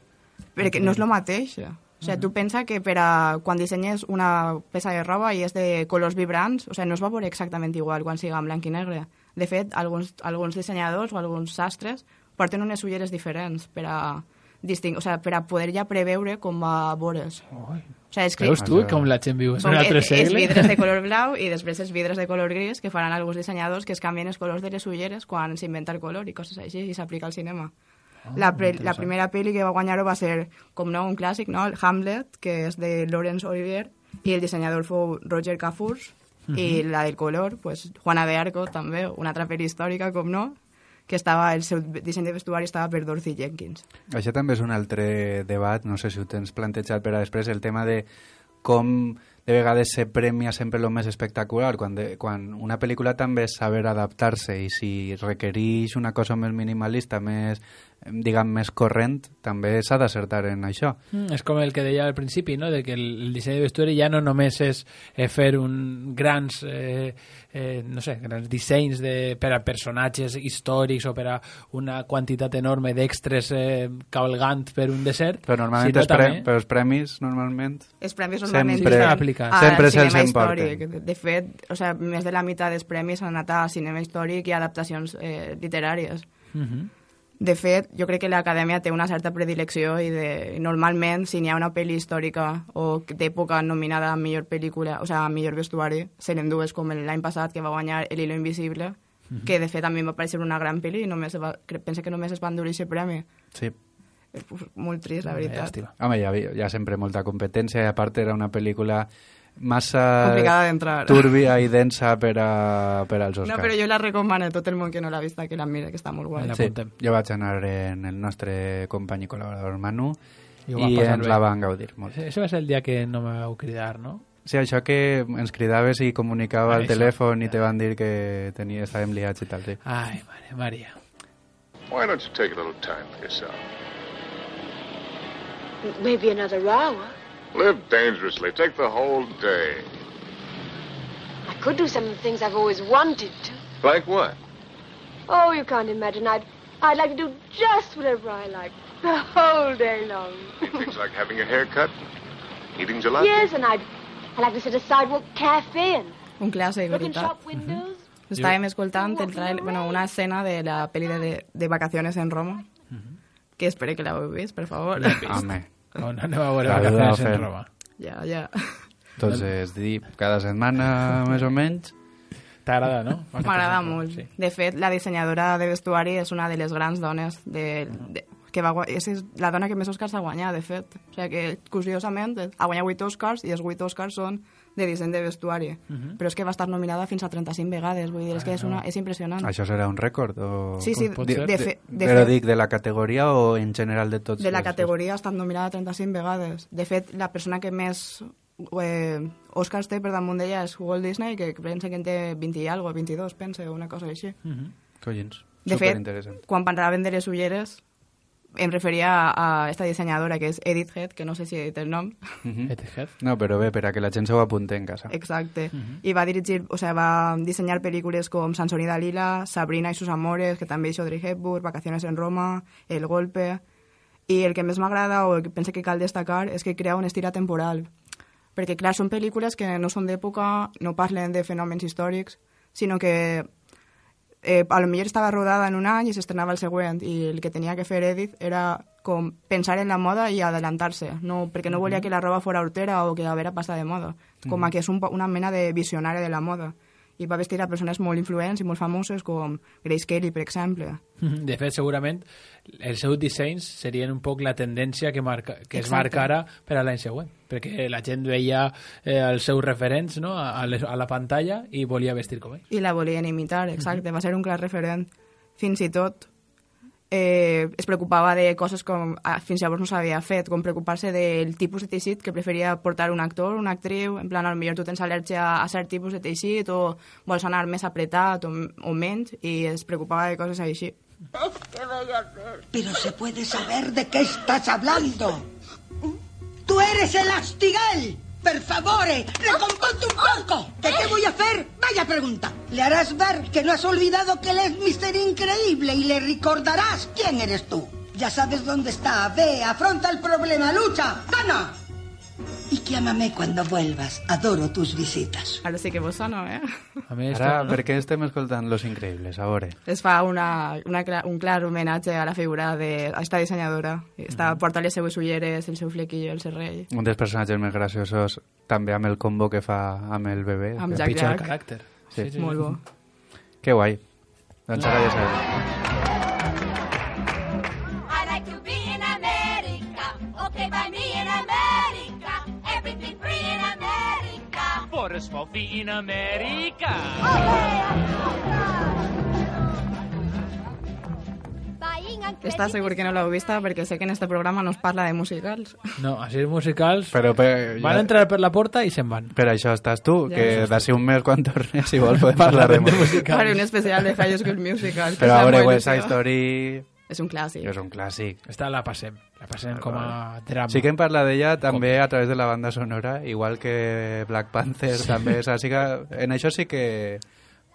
perquè no és el mateix. O sigui, tu pensa que per a, quan dissenyes una peça de roba i és de colors vibrants, o sigui, no es va veure exactament igual quan siga en blanc i negre. De fet, alguns, alguns dissenyadors o alguns sastres porten unes ulleres diferents per a, disting... o sigui, per a poder ja preveure com va veure's. Ui. O sigui, és que Veus tu com la gent viu en són un altre els, els segle? vidres de color blau i després els vidres de color gris que faran alguns dissenyadors que es canvien els colors de les ulleres quan s'inventa el color i coses així i s'aplica al cinema. La, pre la primera pel·li que va guanyar-ho va ser, com no, un clàssic, no? El Hamlet, que és de Laurence Olivier, i el dissenyador fou Roger Cafurs, i la del color, pues, Juana de Arco, també, una altra pel·li històrica, com no, que estava, el seu disseny de vestuari estava per Dorothy Jenkins. Això també és un altre debat, no sé si ho tens plantejat per a després, el tema de com de vegades se premia sempre el més espectacular, quan, de, quan una pel·lícula també és saber adaptar-se, i si requereix una cosa més minimalista, més, diguem, més corrent, també s'ha d'acertar en això. Mm, és com el que deia al principi, no? De que el, el disseny de vestuari ja no només és eh, fer un grans, eh, eh, no sé, grans dissenys de, per a personatges històrics o per a una quantitat enorme d'extres eh, cavalgant per un desert. Però normalment sinó els, pre també... però els premis, normalment... Els premis normalment sempre, aplicar. sempre se'ls cinema emporten. històric. De fet, o sea, més de la meitat dels premis han anat a cinema històric i a adaptacions eh, literàries. Uh -huh. De fet, jo crec que l'Acadèmia té una certa predilecció i, de, i normalment, si n'hi ha una pel·li històrica o d'època nominada a millor pel·lícula, o sigui, a millor vestuari, se n'endues com l'any passat, que va guanyar El hilo invisible, uh -huh. que de fet a mi em va parecer una gran pel·li i només va, penso que només es va endur aquest premi. Sí. És molt trist, la veritat. Home, hi ha, hi ha sempre molta competència, i a part era una pel·lícula massa complicada d'entrar. Turbia i densa per, a, per als Oscars. No, però jo la recomano a tot el món que no l'ha vista, que la mira, que està molt guai. Sí, jo vaig anar en el nostre company i col·laborador Manu i, i ens bé. la van gaudir molt. Això va ser el dia que no me vau cridar, no? Sí, això que ens cridaves i comunicava Ah, al això. telèfon i te van dir que tenia, estàvem liats i tal, sí. Ai, mare, Maria. Why don't you take a little time for yourself? Maybe another hour. Live dangerously. Take the whole day. I could do some of the things I've always wanted to. Like what? Oh, you can't imagine. I'd, I'd like to do just whatever I like the whole day long. Things like having your hair cut, eating gelato. Yes, and I'd, I'd like to sit a sidewalk cafe and Un clàssic, look in veritat. shop windows. Estàvem escoltant el trail, bueno, una escena de la pel·li de, de Vacaciones en Roma, que espero que l'heu vist, per favor. Home, No, no anem a veure La vacaciones duda en fer. Roma. Ja, ja. entonces, dir cada setmana més o menys. T'agrada, no? M'agrada Vacaciones en Roma, molt. sí. De fet, la dissenyadora de vestuari és una de les grans dones de, de, que va guanyar, és la dona que més Oscars ha guanyat, de fet. O sigui que, curiosament, ha guanyat vuit Oscars i els vuit Oscars són de disseny de vestuari. Uh -huh. Però és que va estar nominada fins a trenta-cinc vegades, vull dir, és que és, una, és impressionant. Això serà un rècord? O... Sí, sí, pot de, ser? de, fe, de, Però fet, dic, de la categoria o en general de tots? de la els- categoria ha estat nominada trenta-cinc vegades. De fet, la persona que més eh, Oscars té per damunt d'ella és Walt Disney, que pensa que en té vint i algo, vint-i-dos, pensa, o una cosa així. Uh -huh. Collins, De fet, superinteressant. quan parlaven de les ulleres, em referia a, a esta dissenyadora que és Edith Head, que no sé si he dit el nom. Mhm. Etiquet. No, però bé, per a que la gent se ho apunti en casa. Exacte. I va dirigir, o sea, va dissenyar pel·lícules com Sansón y Dalila, Sabrina y sus amores, que també és Audrey Hepburn, Vacaciones en Roma, El golpe... I el que més m'agrada, o el que penso que cal destacar, és que crea un estil atemporal. Perquè, clar, són pel·lícules que no són d'època, no parlen de fenòmens històrics, sinó que eh, a lo millor estava rodada en un any i s'estrenava el següent, i el que tenia que fer Edith era com pensar en la moda i adelantar-se, no, perquè no volia que la roba fora hortera o que a veure passar de moda, com a que és un, una mena de visionària de la moda. I va vestir a persones molt influents i molt famoses com Grace Kelly, per exemple. De fet, segurament, els seus dissenys serien un poc la tendència que, marca, que es Exacte. marcara per a l'any següent, perquè la gent veia eh, els seus referents, no?, a, les, a la pantalla i volia vestir com ell. I la volien imitar, exacte. Va ser un clar referent. Fins i tot eh, es preocupava de coses com ah, fins llavors no s'havia fet, com preocupar-se del tipus de teixit que preferia portar un actor, una actriu, en plan, potser tu tens al·lèrgia a cert tipus de teixit o vols anar més apretat o, o menys, i es preocupava de coses així. Pero se puede saber de qué estás hablando. ¡Tú eres el Astigal! ¡Per favore! ¡Recomponte un poco! ¿De qué voy a hacer? Vaya pregunta. Le harás ver que no has olvidado que él es mister Increíble y le recordarás quién eres tú. Ya sabes dónde está. Ve, afronta el problema, lucha, gana. Y llámame cuando vuelvas. Adoro tus visitas. Ara sí que vos sona, eh? A més, Ara, per què estem escoltant Los Increïbles, a veure? Es fa una, una, cla- un clar homenatge a la figura d'esta dissenyadora. Està, porta les seues ulleres, el seu flequillo, el serrell. Un dels personatges més graciosos, també amb el combo que fa amb el bebè. Amb que- Jack pitjor Jack. caràcter. Sí. Molt bo. Que guai. Doncs ara ja sabem. I like to be in America. Okay, by me in America. Everything free in America. Forest Fofi in America. Buying Està segur que no l'heu vista perquè sé que en este programa no es parla de musicals. No, així els musicals Però per, van ja, entrar per la porta i se'n van. per això estàs tu, Ja, que ja. d'ací un mes quan tornes, si vols, podem parlar de música. Faré un especial de High School Musical. que Però fa a veure, molt West Side il·lusió. Story És un clàssic. és un clàssic. Esta la passem. La passem com a drama. Sí que hem parlat d'ella també a través de la banda sonora, igual que Black Panther, també. O sigui que en això sí que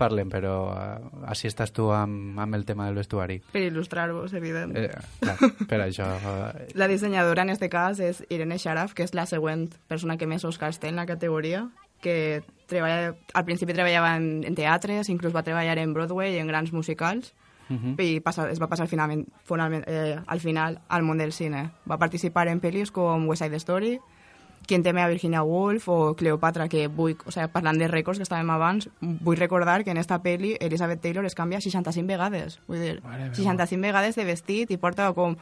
parlem, però uh, així estàs tu amb, amb el tema del vestuari. Per il·lustrar-vos, evident. Eh, clar, per això... Uh, La dissenyadora en este cas és Irene Sharaf, que és la següent persona que més Oscars té en la categoria, que treballa, al principi treballava en, en teatres, inclús va treballar en Broadway i en grans musicals, uh -huh. i passa, es va passar finalment, finalment, eh, al final al món del cine. Va participar en pel·lis com West Side Story, Quien teme a Virginia Woolf o Cleopatra, que vull, o sea, parlant de rècords que estàvem abans, vull recordar que en esta pel·li Elizabeth Taylor es canvia seixanta-cinc vegades, vull dir, seixanta-cinc vegades de vestit i porta com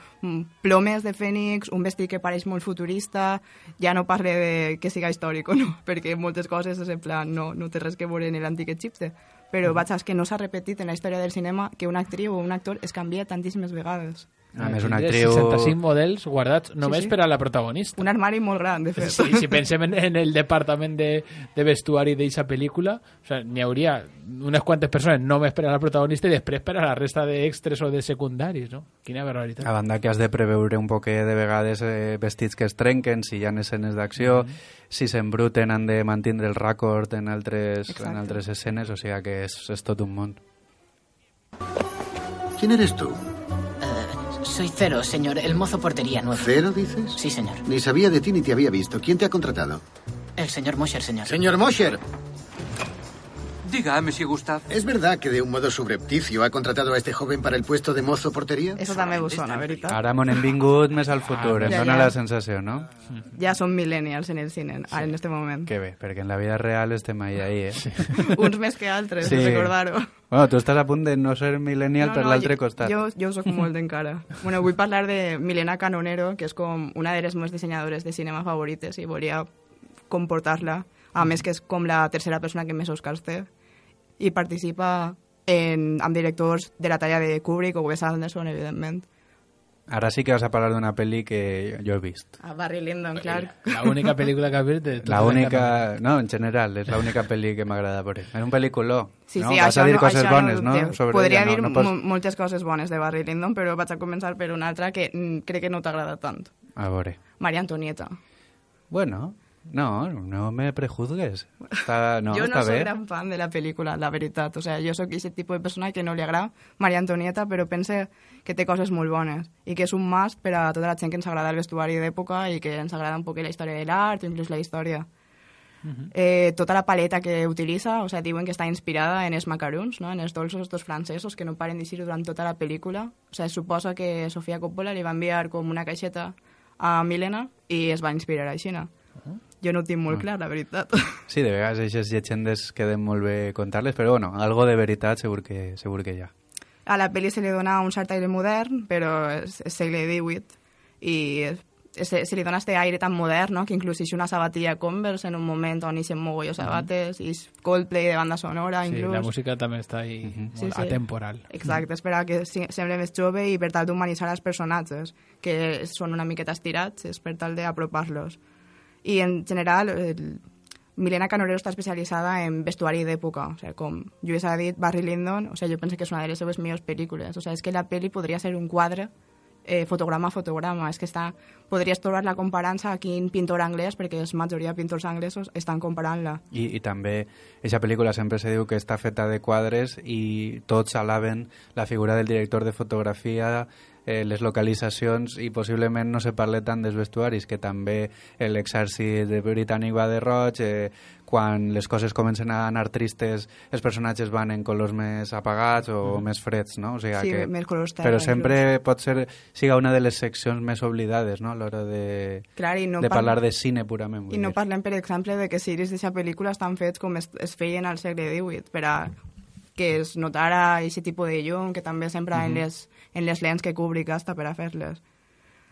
plomes de fènix, un vestit que pareix molt futurista, ja no parle de que siga històric o no, perquè moltes coses és en plan, no, no té res que veure en l'antic Egipte, però vaig saber que no s'ha repetit en la història del cinema que una actriu o un actor es canvia tantíssimes vegades. A més, una actriu... seixanta-cinc models guardats només Sí, sí. per a la protagonista. Un armari molt gran, de fet. Sí, si pensem en, en el departament de, de vestuari d'eixa pel·lícula, o sea, n'hi hauria unes quantes persones només per a la protagonista i després per a la resta d'extres o de secundaris, no? Quina barbaritat. A banda que has de preveure un poquet de vegades eh, vestits que es trenquen, si hi ha escenes d'acció, mm -hmm. si s'embruten han de mantindre el rècord en altres, en altres escenes, o sigui que és, és tot un món. ¿Quién eres tú? Soy Cero, señor, el mozo portería nuevo. ¿Cero, dices? Sí, señor. Ni sabía de ti ni te había visto. ¿Quién te ha contratado? El señor Mosher, señor. Señor Mosher. Diga, monsieur Gustave. ¿Es verdad que de un modo subrepticio ha contratado a este joven para el puesto de mozo portería? Eso també vos sona, veritat? Ara m'on hem vingut més al futur, em Ja, dóna ja. la sensació, no? Ja som millennials en el cine, ara, en este moment. Que bé, perquè en la vida real estem ahí, ahí, eh? Uns més que altres, Sí. recordar-ho. Bueno, tu estàs a punt de no ser millennial No, per no, l'altre jo- costat. Jo, jo soc molt encara. Bueno, vull parlar de Milena Canonero, que és com una de les meves dissenyadores de cinema favorites i volia comportar-la, a més que és com la tercera persona que més Oscars té, i participa en, amb directors de la talla de Kubrick o Wes Anderson, evidentment. Ara sí que vas a parlar d'una pel·li que jo he vist. A Barry Lyndon, clar. La única pel·lícula que has vist de... La única... No, en general, és l'única pel·li que m'agrada veure. És un pel·lículó, Sí, no? sí, Vas això a dir no, coses això bones, no, no? dubteu. Sobre Podria ella, dir no, no pots... mo- moltes coses bones de Barry Lyndon, però vaig a començar per una altra que mm, crec que no t'agrada tant. A veure. Maria Antonieta. Bueno, no, no me prejuzgues. Està, no, jo està no soc bé. gran fan de la pel·lícula, la veritat. O sea, jo sóc aquest tipus de persona que no li agrada Maria Antonieta, però pense que té coses molt bones i que és un must per a tota la gent que ens agrada el vestuari d'època i que ens agrada un poc la història de l'art o inclús la història. Uh-huh. Eh, tota la paleta que utilitza, o sea, diuen que està inspirada en els macaruns, no? En els dolços estos francesos que no paren d'eixir durant tota la pel·lícula. O sea, es suposa que Sofia Coppola li va enviar com una caixeta a Milena i es va inspirar així. Uh-huh. Jo no ho tinc molt Ah. clar, la veritat. Sí, de vegades aquestes llegendes queden molt bé contar-les, però bueno, algo de veritat segur que, segur que hi ha. A la pel·li se li dona un cert aire modern, però és, és segle divuit, i se, se li dona este aire tan modern, no?, que inclús és una sabatilla Converse en un moment on ixen mogolló sabates, i és Coldplay de banda sonora, Sí, inclús. la música també està ahí Mhm. molt atemporal. Exacte, és per a que si- sembli més jove i per tal d'humanitzar els personatges, que són una miqueta estirats, és per tal d'apropar-los. I en general, el, Milena Canonero està especialitzada en vestuari d'època, o sigui, com Lluís ha dit, Barry Lyndon, o sigui, jo penso que és una de les seves millors pel·lícules, o sigui, és que la pel·li podria ser un quadre eh, fotograma a fotograma, és que està, podries trobar-la comparant-se a quin pintor anglès, perquè la majoria de pintors anglesos estan comparant-la. I, i també, aquesta pel·lícula sempre se diu que està feta de quadres i tots alaben la figura del director de fotografia, eh, les localitzacions, i possiblement no se parla tant dels vestuaris, que també l'exèrcit britànic va de roig, eh, quan les coses comencen a anar tristes, els personatges van en colors més apagats o Mm. més freds, no? O sigui Sí, que, més colors terra, però sempre pot ser, siga una de les seccions més oblidades, no?, a l'hora de, Clar, i no de parla- parlar de cine purament. vull I no dir. parlem, per exemple, de que ciris d'aquesta pel·lícula estan fets com es, es feien al segle divuit, per a que es notara aquest tipus de llum que també s'empra en, Mhm. les, en les lents que Kubrick gasta per a fer-les.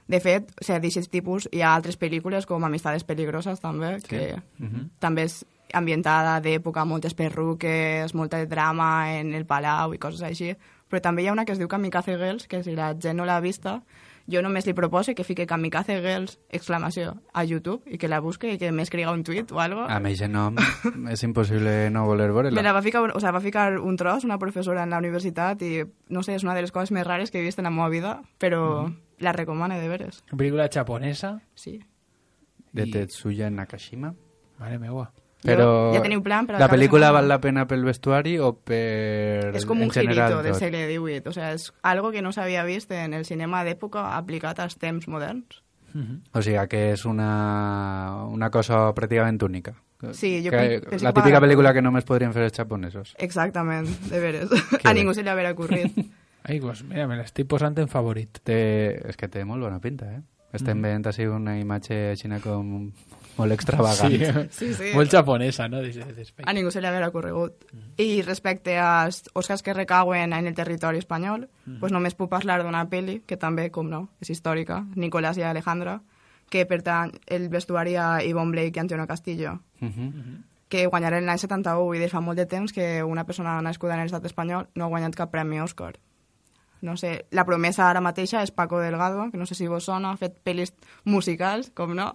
De fet, o sigui, d'aquest tipus hi ha altres pel·lícules com Amistades peligroses també, que Mhm. també és ambientada d'època, moltes perruques, molt de drama en el palau i coses així, Però també hi ha una que es diu Kamikaze Girls, que si la gent no l'ha vista, jo només li proposo que fique Kamikaze Girls, exclamació, a YouTube, i que la busque i que m'escriga un tuit o algo. A mi, no, és impossible no voler veure-la. Me la va ficar, o sea, va ficar un tros, una professora en la universitat, i no sé, és una de les coses més rares que he vist en la meva vida, però mm. la recomano de veres. Una pel·lícula japonesa? Sí. De Tetsuya Nakashima. Mare meua. Però ja teniu plan, però la pel·lícula val la pena pel vestuari o per... És com un girito del segle divuit. O sea, és algo que no s'havia vist en el cinema d'època aplicat als temps moderns. Mm-hmm. O sigui, que és una, una cosa pràcticament única. Sí, jo que, penso la que típica va... pel·lícula que només podrien fer els japonesos. Exactament, de veres. A ningú se li haurà ocurrit. Ai, pues mira, me l'estic posant en favorit. Té... És que té molt bona pinta, eh? Estem mm. veient així una imatge xina com... molt extravagant. Sí, sí, sí. Molt japonesa, no? A ningú se li haurà ocorregut. Mm. I respecte als Oscars que recauen en el territori espanyol, mm. pues només puc parlar d'una pel·li, que també, com no, és històrica, Nicolás i Alejandra, que pertany el vestuari a Yvonne Blake i Antonio Castillo, mm -hmm. que guanyaren l'any setanta-u, i des fa molt de temps que una persona nascuda en l'estat espanyol no ha guanyat cap premi Òscar. No sé, la promesa ara mateixa és Paco Delgado, que no sé si vos sona, ha fet pel·lis musicals, com no?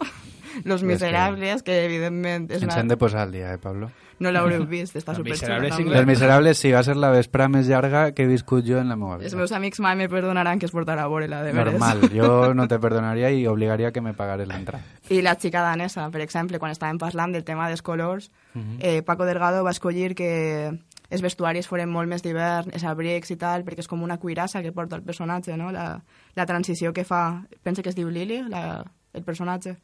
Los Miserables, que, que evidentment... És Ens una... hem de posar al dia, eh, Pablo? No l'haureu vist, està superxula. Sí, Els Miserables sí, va ser la vesprà més llarga que he viscut jo en la meva vida. Els meus amics mai me perdonaran que es portarà a veure-la, de veres. Normal, jo no te perdonaria i obligaria que me pagares l'entrada. I la xica danesa, per exemple, quan estàvem parlant del tema dels colors, uh-huh. eh, Paco Delgado va escollir que els vestuaris foren molt més d'hivern, els abrics i tal, perquè és com una cuirassa que porta el personatge, no? La, la transició que fa, pensa que es diu Lily, la, el personatge.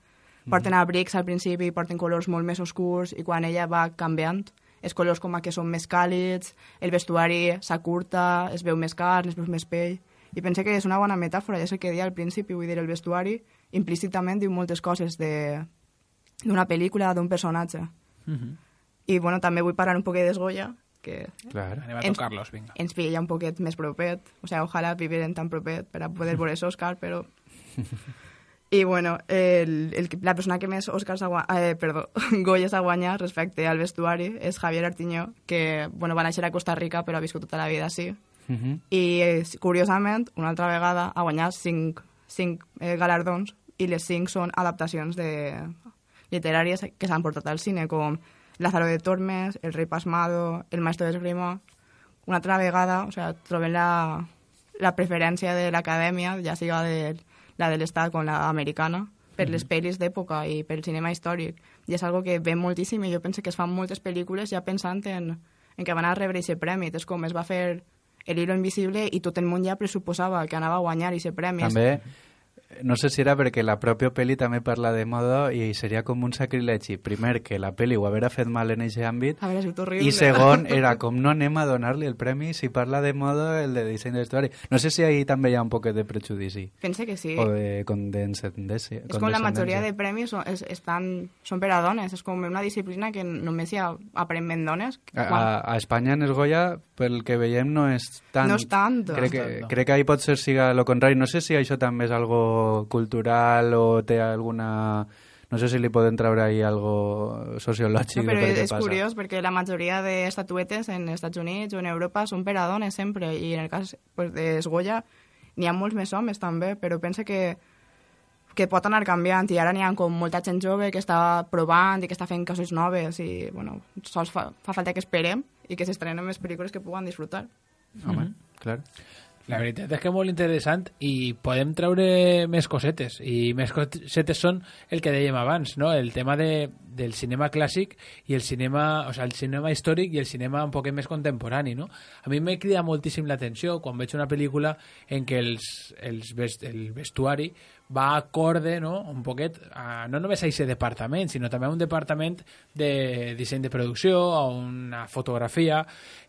Porten abrics al principi, porten colors molt més oscurs, i quan ella va canviant, els colors com que són més càlids, el vestuari s'acurta, es veu més carn, es veu més pell, i penso que és una bona metàfora, ja és el que deia al principi, vull dir, el vestuari implícitament diu moltes coses d'una pel·lícula, d'un personatge. Uh-huh. I, bueno, també vull parlar un poquet d'Esgoya, que Clar, anem a tocar-los, vinga. Ens pilla un poquet més propet, o sea, ojalà viviren tan propet per a poder veure Òscar, però... I, bueno, el, el, la persona que més Òscars ha guanyat, eh, perdó, Goyes ha guanyat respecte al vestuari és Javier Artiñó, que, bueno, va néixer a Costa Rica, però ha viscut tota la vida així. Uh-huh. I, eh, curiosament, una altra vegada ha guanyat cinc, cinc eh, galardons, i les cinc són adaptacions de literàries que s'han portat al cine, com Lázaro de Tormes, El rei pasmado, El maestro d'esgrima. Una altra vegada, o sea, trobem la, la preferència de l'acadèmia, ja siga de, la de l'Estat com l'americana, per mm-hmm. les pel·lis d'època i pel cinema històric. I és algo que ve moltíssim, i jo penso que es fan moltes pel·lícules ja pensant en, en que van a rebre aquest premi. És com es va fer El hilo invisible i tot el món ja pressuposava que anava a guanyar aquest premi. També... No sé si era perquè la pròpia pel·li també parla de moda i seria com un sacrilegi. Primer, que la pel·li ho haguera fet mal en aquest àmbit. I segon, era com no anem a donar-li el premi si parla de moda el de disseny de vestuari. No sé si ahí també hi ha un poquet de prejudici. Pense que sí. O de condescendència. És com la majoria de premis són, és, estan, són per a dones. És com una disciplina que només hi ha aparentment dones. A, a, a Espanya, en Esgoya, pel que veiem, no és tant. No és tant. Crec que, crec que ahí pot ser siga lo contrari. No sé si això també és algo cultural o té alguna... No sé si li poden treure ahí algo sociològic. No, però de és passa. curiós perquè la majoria d'estatuetes en els Estats Units o en Europa són per a dones sempre, i en el cas pues, d'Esgoya n'hi ha molts més homes també, però penso que que pot anar canviant, i ara n'hi ha com molta gent jove que està provant i que està fent coses noves, i bueno, sols fa, fa falta que esperem i que s'estrenen més pel·lícules que puguen disfrutar. Home, mm-hmm. clar. La veritat és que és molt interessant i podem treure més cosetes, i més cosetes són el que dèiem abans, no? El tema de, del cinema clàssic i el cinema, o sea, el cinema històric i el cinema un poquet més contemporani, no? A mi me crida moltíssim l'atenció quan veig una pel·lícula en què els, els vest, el vestuari va acorde, no? Un poquet a, no només a aquest departament, sinó també a un departament de disseny de producció, a una fotografia,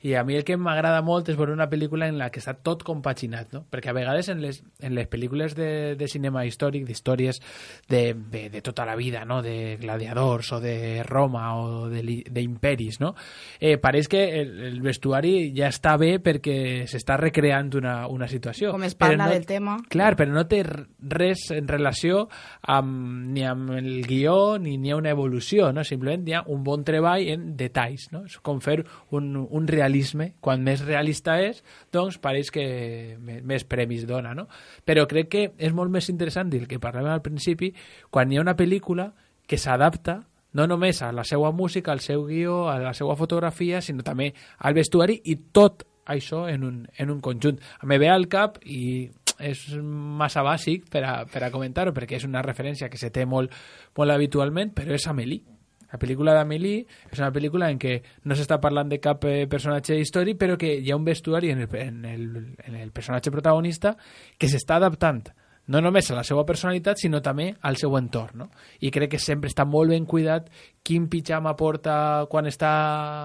i a mi el que m'agrada molt és veure una pel·lícula en la que està tot compartit compaginat, no? Perquè a vegades en les, en les pel·lícules de, de cinema històric, d'històries de, de, de tota la vida, no? De gladiadors o de Roma o d'imperis, no? Eh, pareix que el, el vestuari ja està bé perquè s'està recreant una, una situació. Com es parla no, del tema. Clar, però no té res en relació amb, ni amb el guió ni ni ha una evolució, no? Simplement hi ha un bon treball en detalls, no? És com fer un, un realisme. Quan més realista és, doncs pareix que més premis dona, no? Però crec que és molt més interessant el que parlàvem al principi, quan hi ha una pel·lícula que s'adapta no només a la seva música, al seu guió, a la seva fotografia, sinó també al vestuari i tot això en un, en un conjunt. Me ve al cap i és massa bàsic per a, per a comentar-ho, perquè és una referència que se té molt, molt habitualment, però és Amélie. La pel·lícula d'Amélie és una pel·lícula en què no s'està parlant de cap eh, personatge històric, però que hi ha un vestuari en el, en el, en el personatge protagonista que s'està adaptant no només a la seva personalitat, sinó també al seu entorn, no? I crec que sempre està molt ben cuidat quin pitjama porta quan està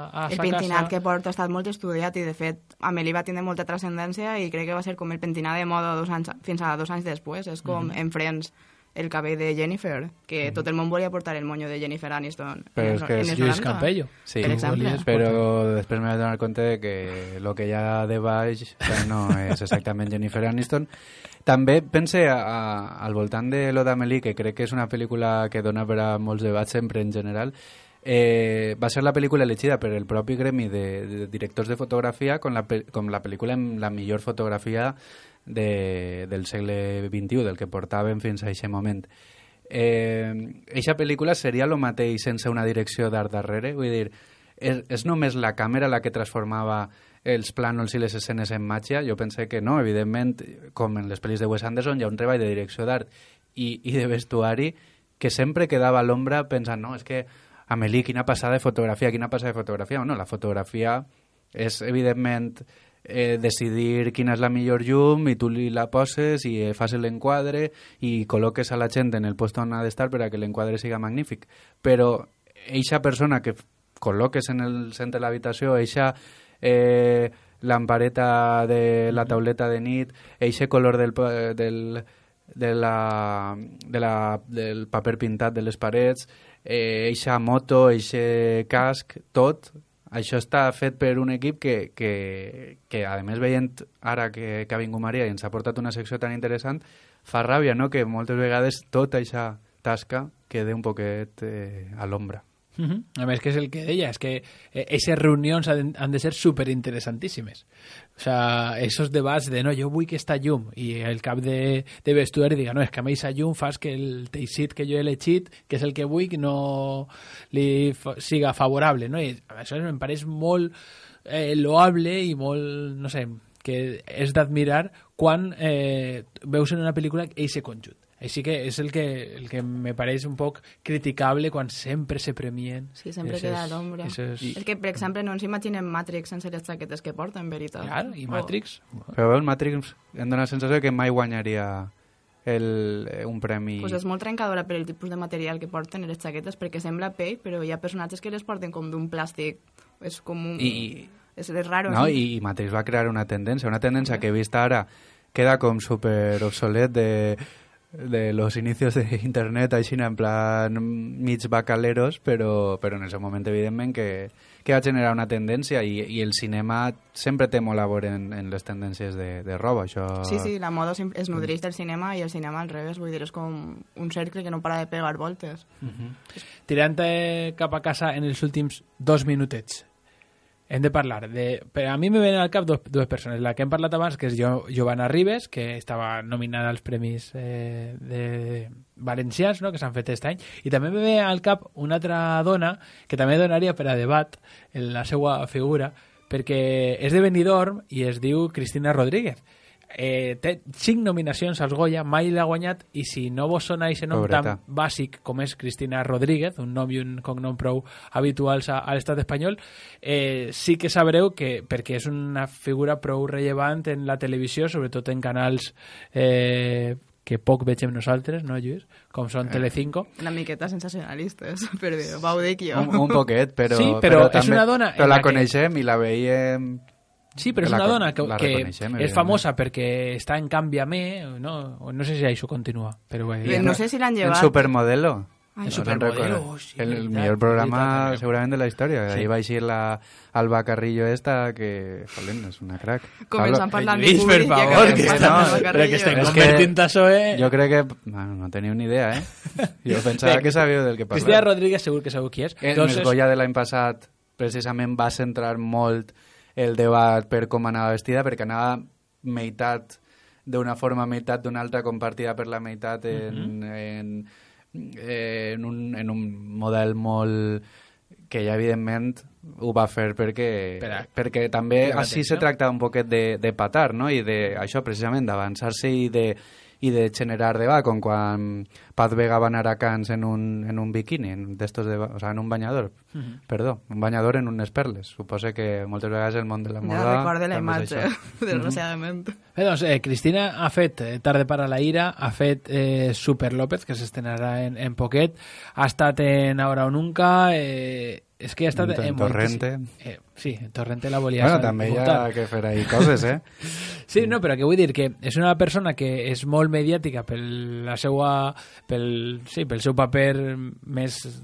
a sa casa. El pentinat que porta ha estat molt estudiat i, de fet, Amélie va tindre molta transcendència i crec que va ser com el pentinat de moda dos anys, fins a dos anys després. És com mm-hmm. en Friends, el cabell de Jennifer, que mm. tot el món volia portar el moño de Jennifer Aniston. Però és que és Lluís Campello. Sí, per exemple. Però després me vaig donar compte de que el que hi ha de baix no és exactament Jennifer Aniston. També pense a, a, al voltant de lo d'Amélie, que crec que és una pel·lícula que dona per a molts debats sempre en general. Eh, va ser la pel·lícula elegida per el propi gremi de, de directors de fotografia com la, com la pel·lícula amb la millor fotografia de, del segle vint-i-u, del que portàvem fins a aquest moment. Eh, eixa pel·lícula seria el mateix sense una direcció d'art darrere? Vull dir, és, és només la càmera la que transformava els plànols i les escenes en màgia? Jo pensé que no, evidentment, com en les pel·lis de Wes Anderson, hi ha un treball de direcció d'art i, i de vestuari que sempre quedava a l'ombra pensant, no, és que Amélie, quina passada de fotografia, quina passada de fotografia. No, la fotografia és, evidentment, eh, decidir quina és la millor llum i tu li la poses i eh, fas l'enquadre i col·loques a la gent en el lloc on ha d'estar per a que l'enquadre siga magnífic. Però eixa persona que col·loques en el centre de l'habitació, eixa eh, lampareta de la tauleta de nit, eixe color del, del, de la, de la, del paper pintat de les parets, eh, eixa moto, eixe casc, tot, això està fet per un equip que, que, que a més, veient ara que, que ha vingut Maria i ens ha portat una secció tan interessant, fa ràbia, no?, que moltes vegades tota eixa tasca queda un poquet eh, a l'ombra. Uh-huh. A més, que és el que deia, és que aquestes reunions han, han de ser superinteressantíssimes. O sea, esos debats de, no, jo vull que esta llum, i el cap de, de vestuari diga, no, és que a mi aquesta llum fas que el teixit que jo he elegit, que és el que vull, no li fa, siga favorable, no? I això em pareix molt eh, loable i molt, no sé, que és d'admirar quan eh, veus en una pel·lícula eixe conjunt. Així que és el que, el que me pareix un poc criticable quan sempre se premien. Sí, sempre eses, queda a l'ombra. Eses... És que, per exemple, no ens imaginem Matrix sense les jaquetes que porta, en veritat. Clar, i Matrix... Oh. Però el Matrix em dóna la sensació que mai guanyaria el, un premi... Pues és molt trencadora per el tipus de material que porten les jaquetes, perquè sembla pell, però hi ha personatges que les porten com d'un plàstic. És com un... I... És, és raro. No, sí? I Matrix va crear una tendència, una tendència que he vist ara queda com super obsolet de... de los inicios de internet, així en plan mig bacaleros, però, però en el seu moment, evidentment, que, que va generar una tendència i, i el cinema sempre té molt a veure en, en les tendències de, de roba. Això... Sí, sí, la moda es nodreix del cinema i el cinema al revés, vull dir, és com un cercle que no para de pegar voltes. Uh-huh. Tirant cap a casa en els últims dos minutets, hem de parlar de... Per a mi me venen al cap dos, dues persones. La que hem parlat abans, que és jo, Giovanna Ribes, que estava nominada als Premis eh, de valencians, no?, que s'han fet aquest any. I també me ve al cap una altra dona que també donaria per a debat en la seva figura, perquè és de Benidorm i es diu Cristina Rodríguez. Eh, té cinc nominacions als Goya, mai l'ha guanyat, i si no vos sona aquest nom Pobreta. Tan bàsic com és Cristina Rodríguez, un nom i un cognom prou habituals a, a l'estat espanyol, eh, sí que sabreu que, perquè és una figura prou rellevant en la televisió, sobretot en canals eh, que poc vegem nosaltres, no, Lluís? Com són eh, Telecinco. Una miqueta sensacionalistes, però ho dic jo. Un, un poquet, però... Sí, però, però és també, una dona... Però la que... coneixem i la veiem... Sí, però és la, una dona que, que és famosa perquè està en Canviame, no? No sé si això continua. Però bé, no sé si l'han llevat. En Supermodelo. En Supermodelo, sí, el veritat, millor programa veritat, segurament de la història. Sí. Ahí va eixir la Alba Carrillo esta, que, joder, és una crac. Començant parlant de Lluís, per favor, que, està, no, que estem convertint això, eh? Jo crec que... Bueno, no teniu ni idea, eh? Jo pensava que sabíeu del que parleu. Cristina Rodríguez segur que sabeu qui és. En Entonces... el Goya de l'any passat precisament va centrar molt el debat per com anava vestida, perquè anava meitat d'una forma, meitat d'una altra, compartida per la meitat en, uh -huh. en, en, un, en un model molt que ja evidentment ho va fer perquè, Espera, perquè també així se tracta un poquet de, de patar, no? I de, això precisament, d'avançar-se i de i de generar debat, com quan Paz Vega va anar a Cans en un, en un biquini, en, d'estos de, o sea, en un banyador, uh -huh. perdó, un banyador en unes perles. Suposo que moltes vegades el món de la moda... Ja recordo la imatge, desgraciadament. Uh -huh. Bé, doncs, eh, Cristina ha fet eh, Tarde para la ira, ha fet eh, Super López, que s'estrenarà en, en poquet, ha estat en Ahora o Nunca... Eh, és que ha estat... En, en Torrente. Eh, sí, en Torrente la volia... Bueno, també hi ha que fer ahí coses, eh? Sí, no, però que vull dir que és una persona que és molt mediàtica pel la seva, pel, sí, pel seu paper més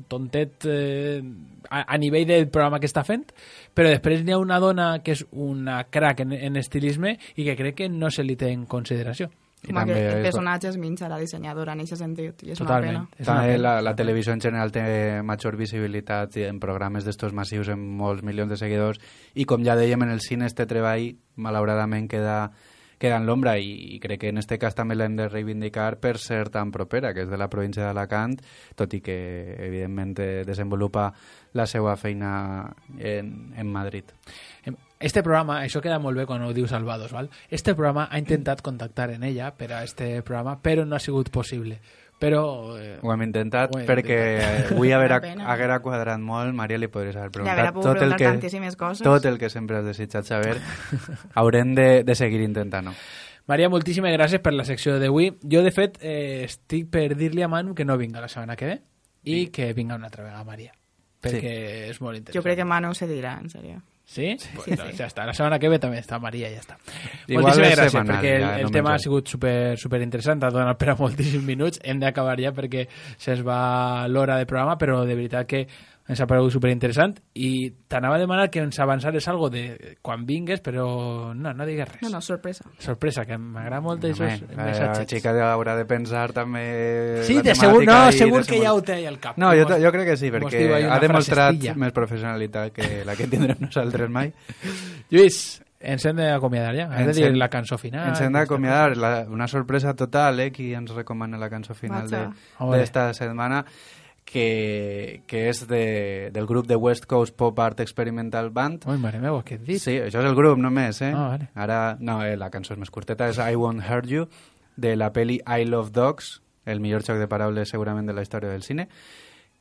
tontet eh, a, a nivell del programa que està fent, però després n'hi ha una dona que és una crack en, en estilisme i que crec que no se li té en consideració. I com que el personatge es minxa la dissenyadora en aquest sentit, i és Totalment. una pena. També la, la televisió en general té major visibilitat en programes d'estos massius amb molts milions de seguidors, i com ja dèiem, en el cine este treball malauradament queda, queda en l'ombra, i, i crec que en este cas també l'hem de reivindicar per ser tan propera, que és de la província d'Alacant, tot i que evidentment desenvolupa la seva feina en, en Madrid. Este programa, això queda molt bé quan ho diu Salvados, ¿val? Este programa ha intentat contactar en ella per a este programa, però no ha sigut possible. Però... Eh, ho hem intentat ho hem perquè intentat. Avui haguera, haguera quadrat molt. Maria, li podries haver preguntat tot el, que, coses. tot el que sempre has desitjat saber. Haurem de, de seguir intentant-ho. Maria, moltíssimes gràcies per la secció d'avui. Jo, de fet, eh, estic per dir-li a Manu que no vinga la setmana que ve i sí. que vinga una altra vegada Maria, perquè sí. és molt interessant. Jo crec que Manu se dirà, en sèrio. ¿Sí? Sí, pues, sí, no, sí. Ya está. La semana que ve també està Maria, ja està. Igual moltíssimes gràcies, semanal, perquè el, ja, el no tema ha sigut super, super interessant, ha donat per a moltíssims minuts, hem d'acabar ja perquè se'ns va l'hora de programa, però de veritat que ens ha paregut superinteressant i t'anava a demanar que ens avançares algo de quan vingues, però no, no digues res. No, no, sorpresa. Sorpresa, que m'agrada molt no, aquests missatges. La xica haurà de pensar també sí, la de segur, no, i segur de que ja ho té al cap. No, jo, jo crec que sí, perquè ha demostrat més professionalitat que la que tindrem nosaltres mai. Lluís, ens hem d'acomiadar ja. Has de dir la cançó final. Ens hem d'acomiadar. Una sorpresa total, eh? Qui ens recomana la cançó final d'esta setmana, que, que és de, del grup de West Coast Pop Art Experimental Band. Ui, mare meva, què et dic? Sí, això és el grup només, eh? Ah, vale. Ara, no, eh, la cançó és més curteta, és I Won't Hurt You, de la peli I Love Dogs, el millor xoc de paraules segurament de la història del cine,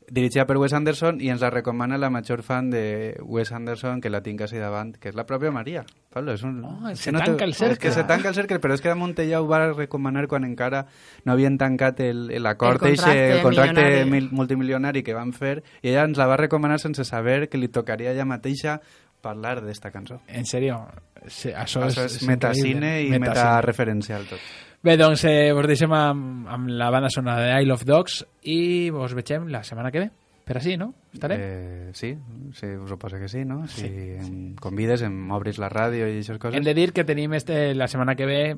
dirigida per Wes Anderson, i ens la recomana la major fan de Wes Anderson, que la tinc així davant, que és la pròpia Maria. Pablo, és un... Oh, se no tanca te... el cercle. És que se tanca el cercle, però és que damunt ella ho va recomanar quan encara no havien tancat l'acord, el, el contracte, el contracte mil, multimilionari que van fer, i ella ens la va recomanar sense saber que li tocaria ella mateixa parlar d'esta cançó. En sèrio? Sí, això, això és, és metacine i metareferencial tot. Bé, doncs eh, vos deixem amb, amb la banda sonora de I Love Dogs i vos vegem la setmana que ve. Per així, no? Estarem? Eh, sí, sí, us ho poso que sí, no? Si sí, em sí. convides, em obris la ràdio i aquestes coses. Hem de dir que tenim este, la setmana que ve,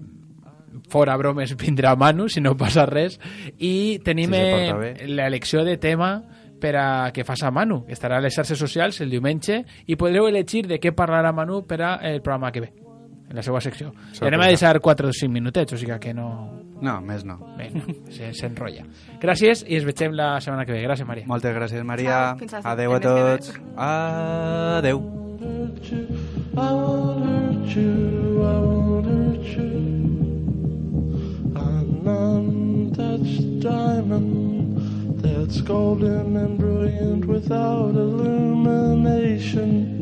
fora bromes, vindrà Manu, si no passa res, i tenim si l'elecció de tema per a que faça Manu. Estarà a les xarxes socials el diumenge i podreu elegir de què parlarà Manu per al programa que ve, en la seva secció. I anem a deixar quatre o cinc minutets, o sigui que no... No, més no. Bé, no, s'enrotlla. Gràcies i ens veiem la setmana que ve. Gràcies, Maria. Moltes gràcies, Maria. Adeu a tots. Adeu. I won't hurt you, I won't hurt you. An untouched diamond that's golden and brilliant without illumination.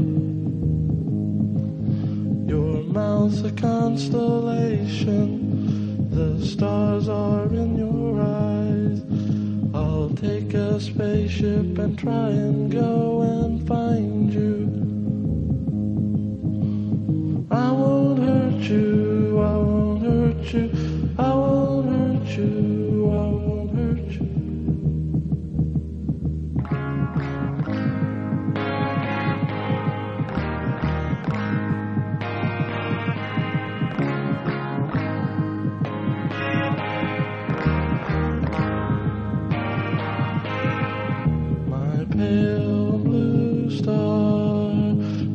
Your mouth's a constellation. The stars are in your eyes. I'll take a spaceship and try and go and find you. you, I won't hurt you, I won't hurt you. Pale blue star,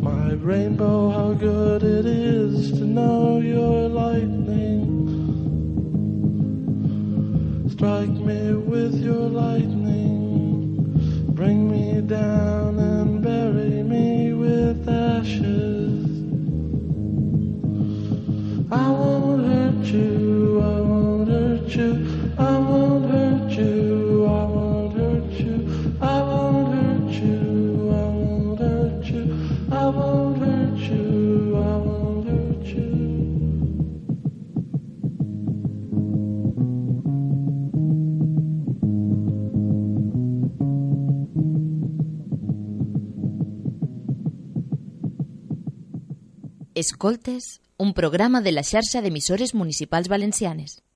my rainbow, how good it is to know you're lightning. Strike me with your lightning, bring me down and bury me with ashes. I won't hurt you, I won't hurt you, I won't hurt you, I won't hurt you, I won't hurt you, I won't hurt you, I won't hurt you, I won't hurt you. Escoltes, un programa de la xarxa d'emissores municipals valencianes.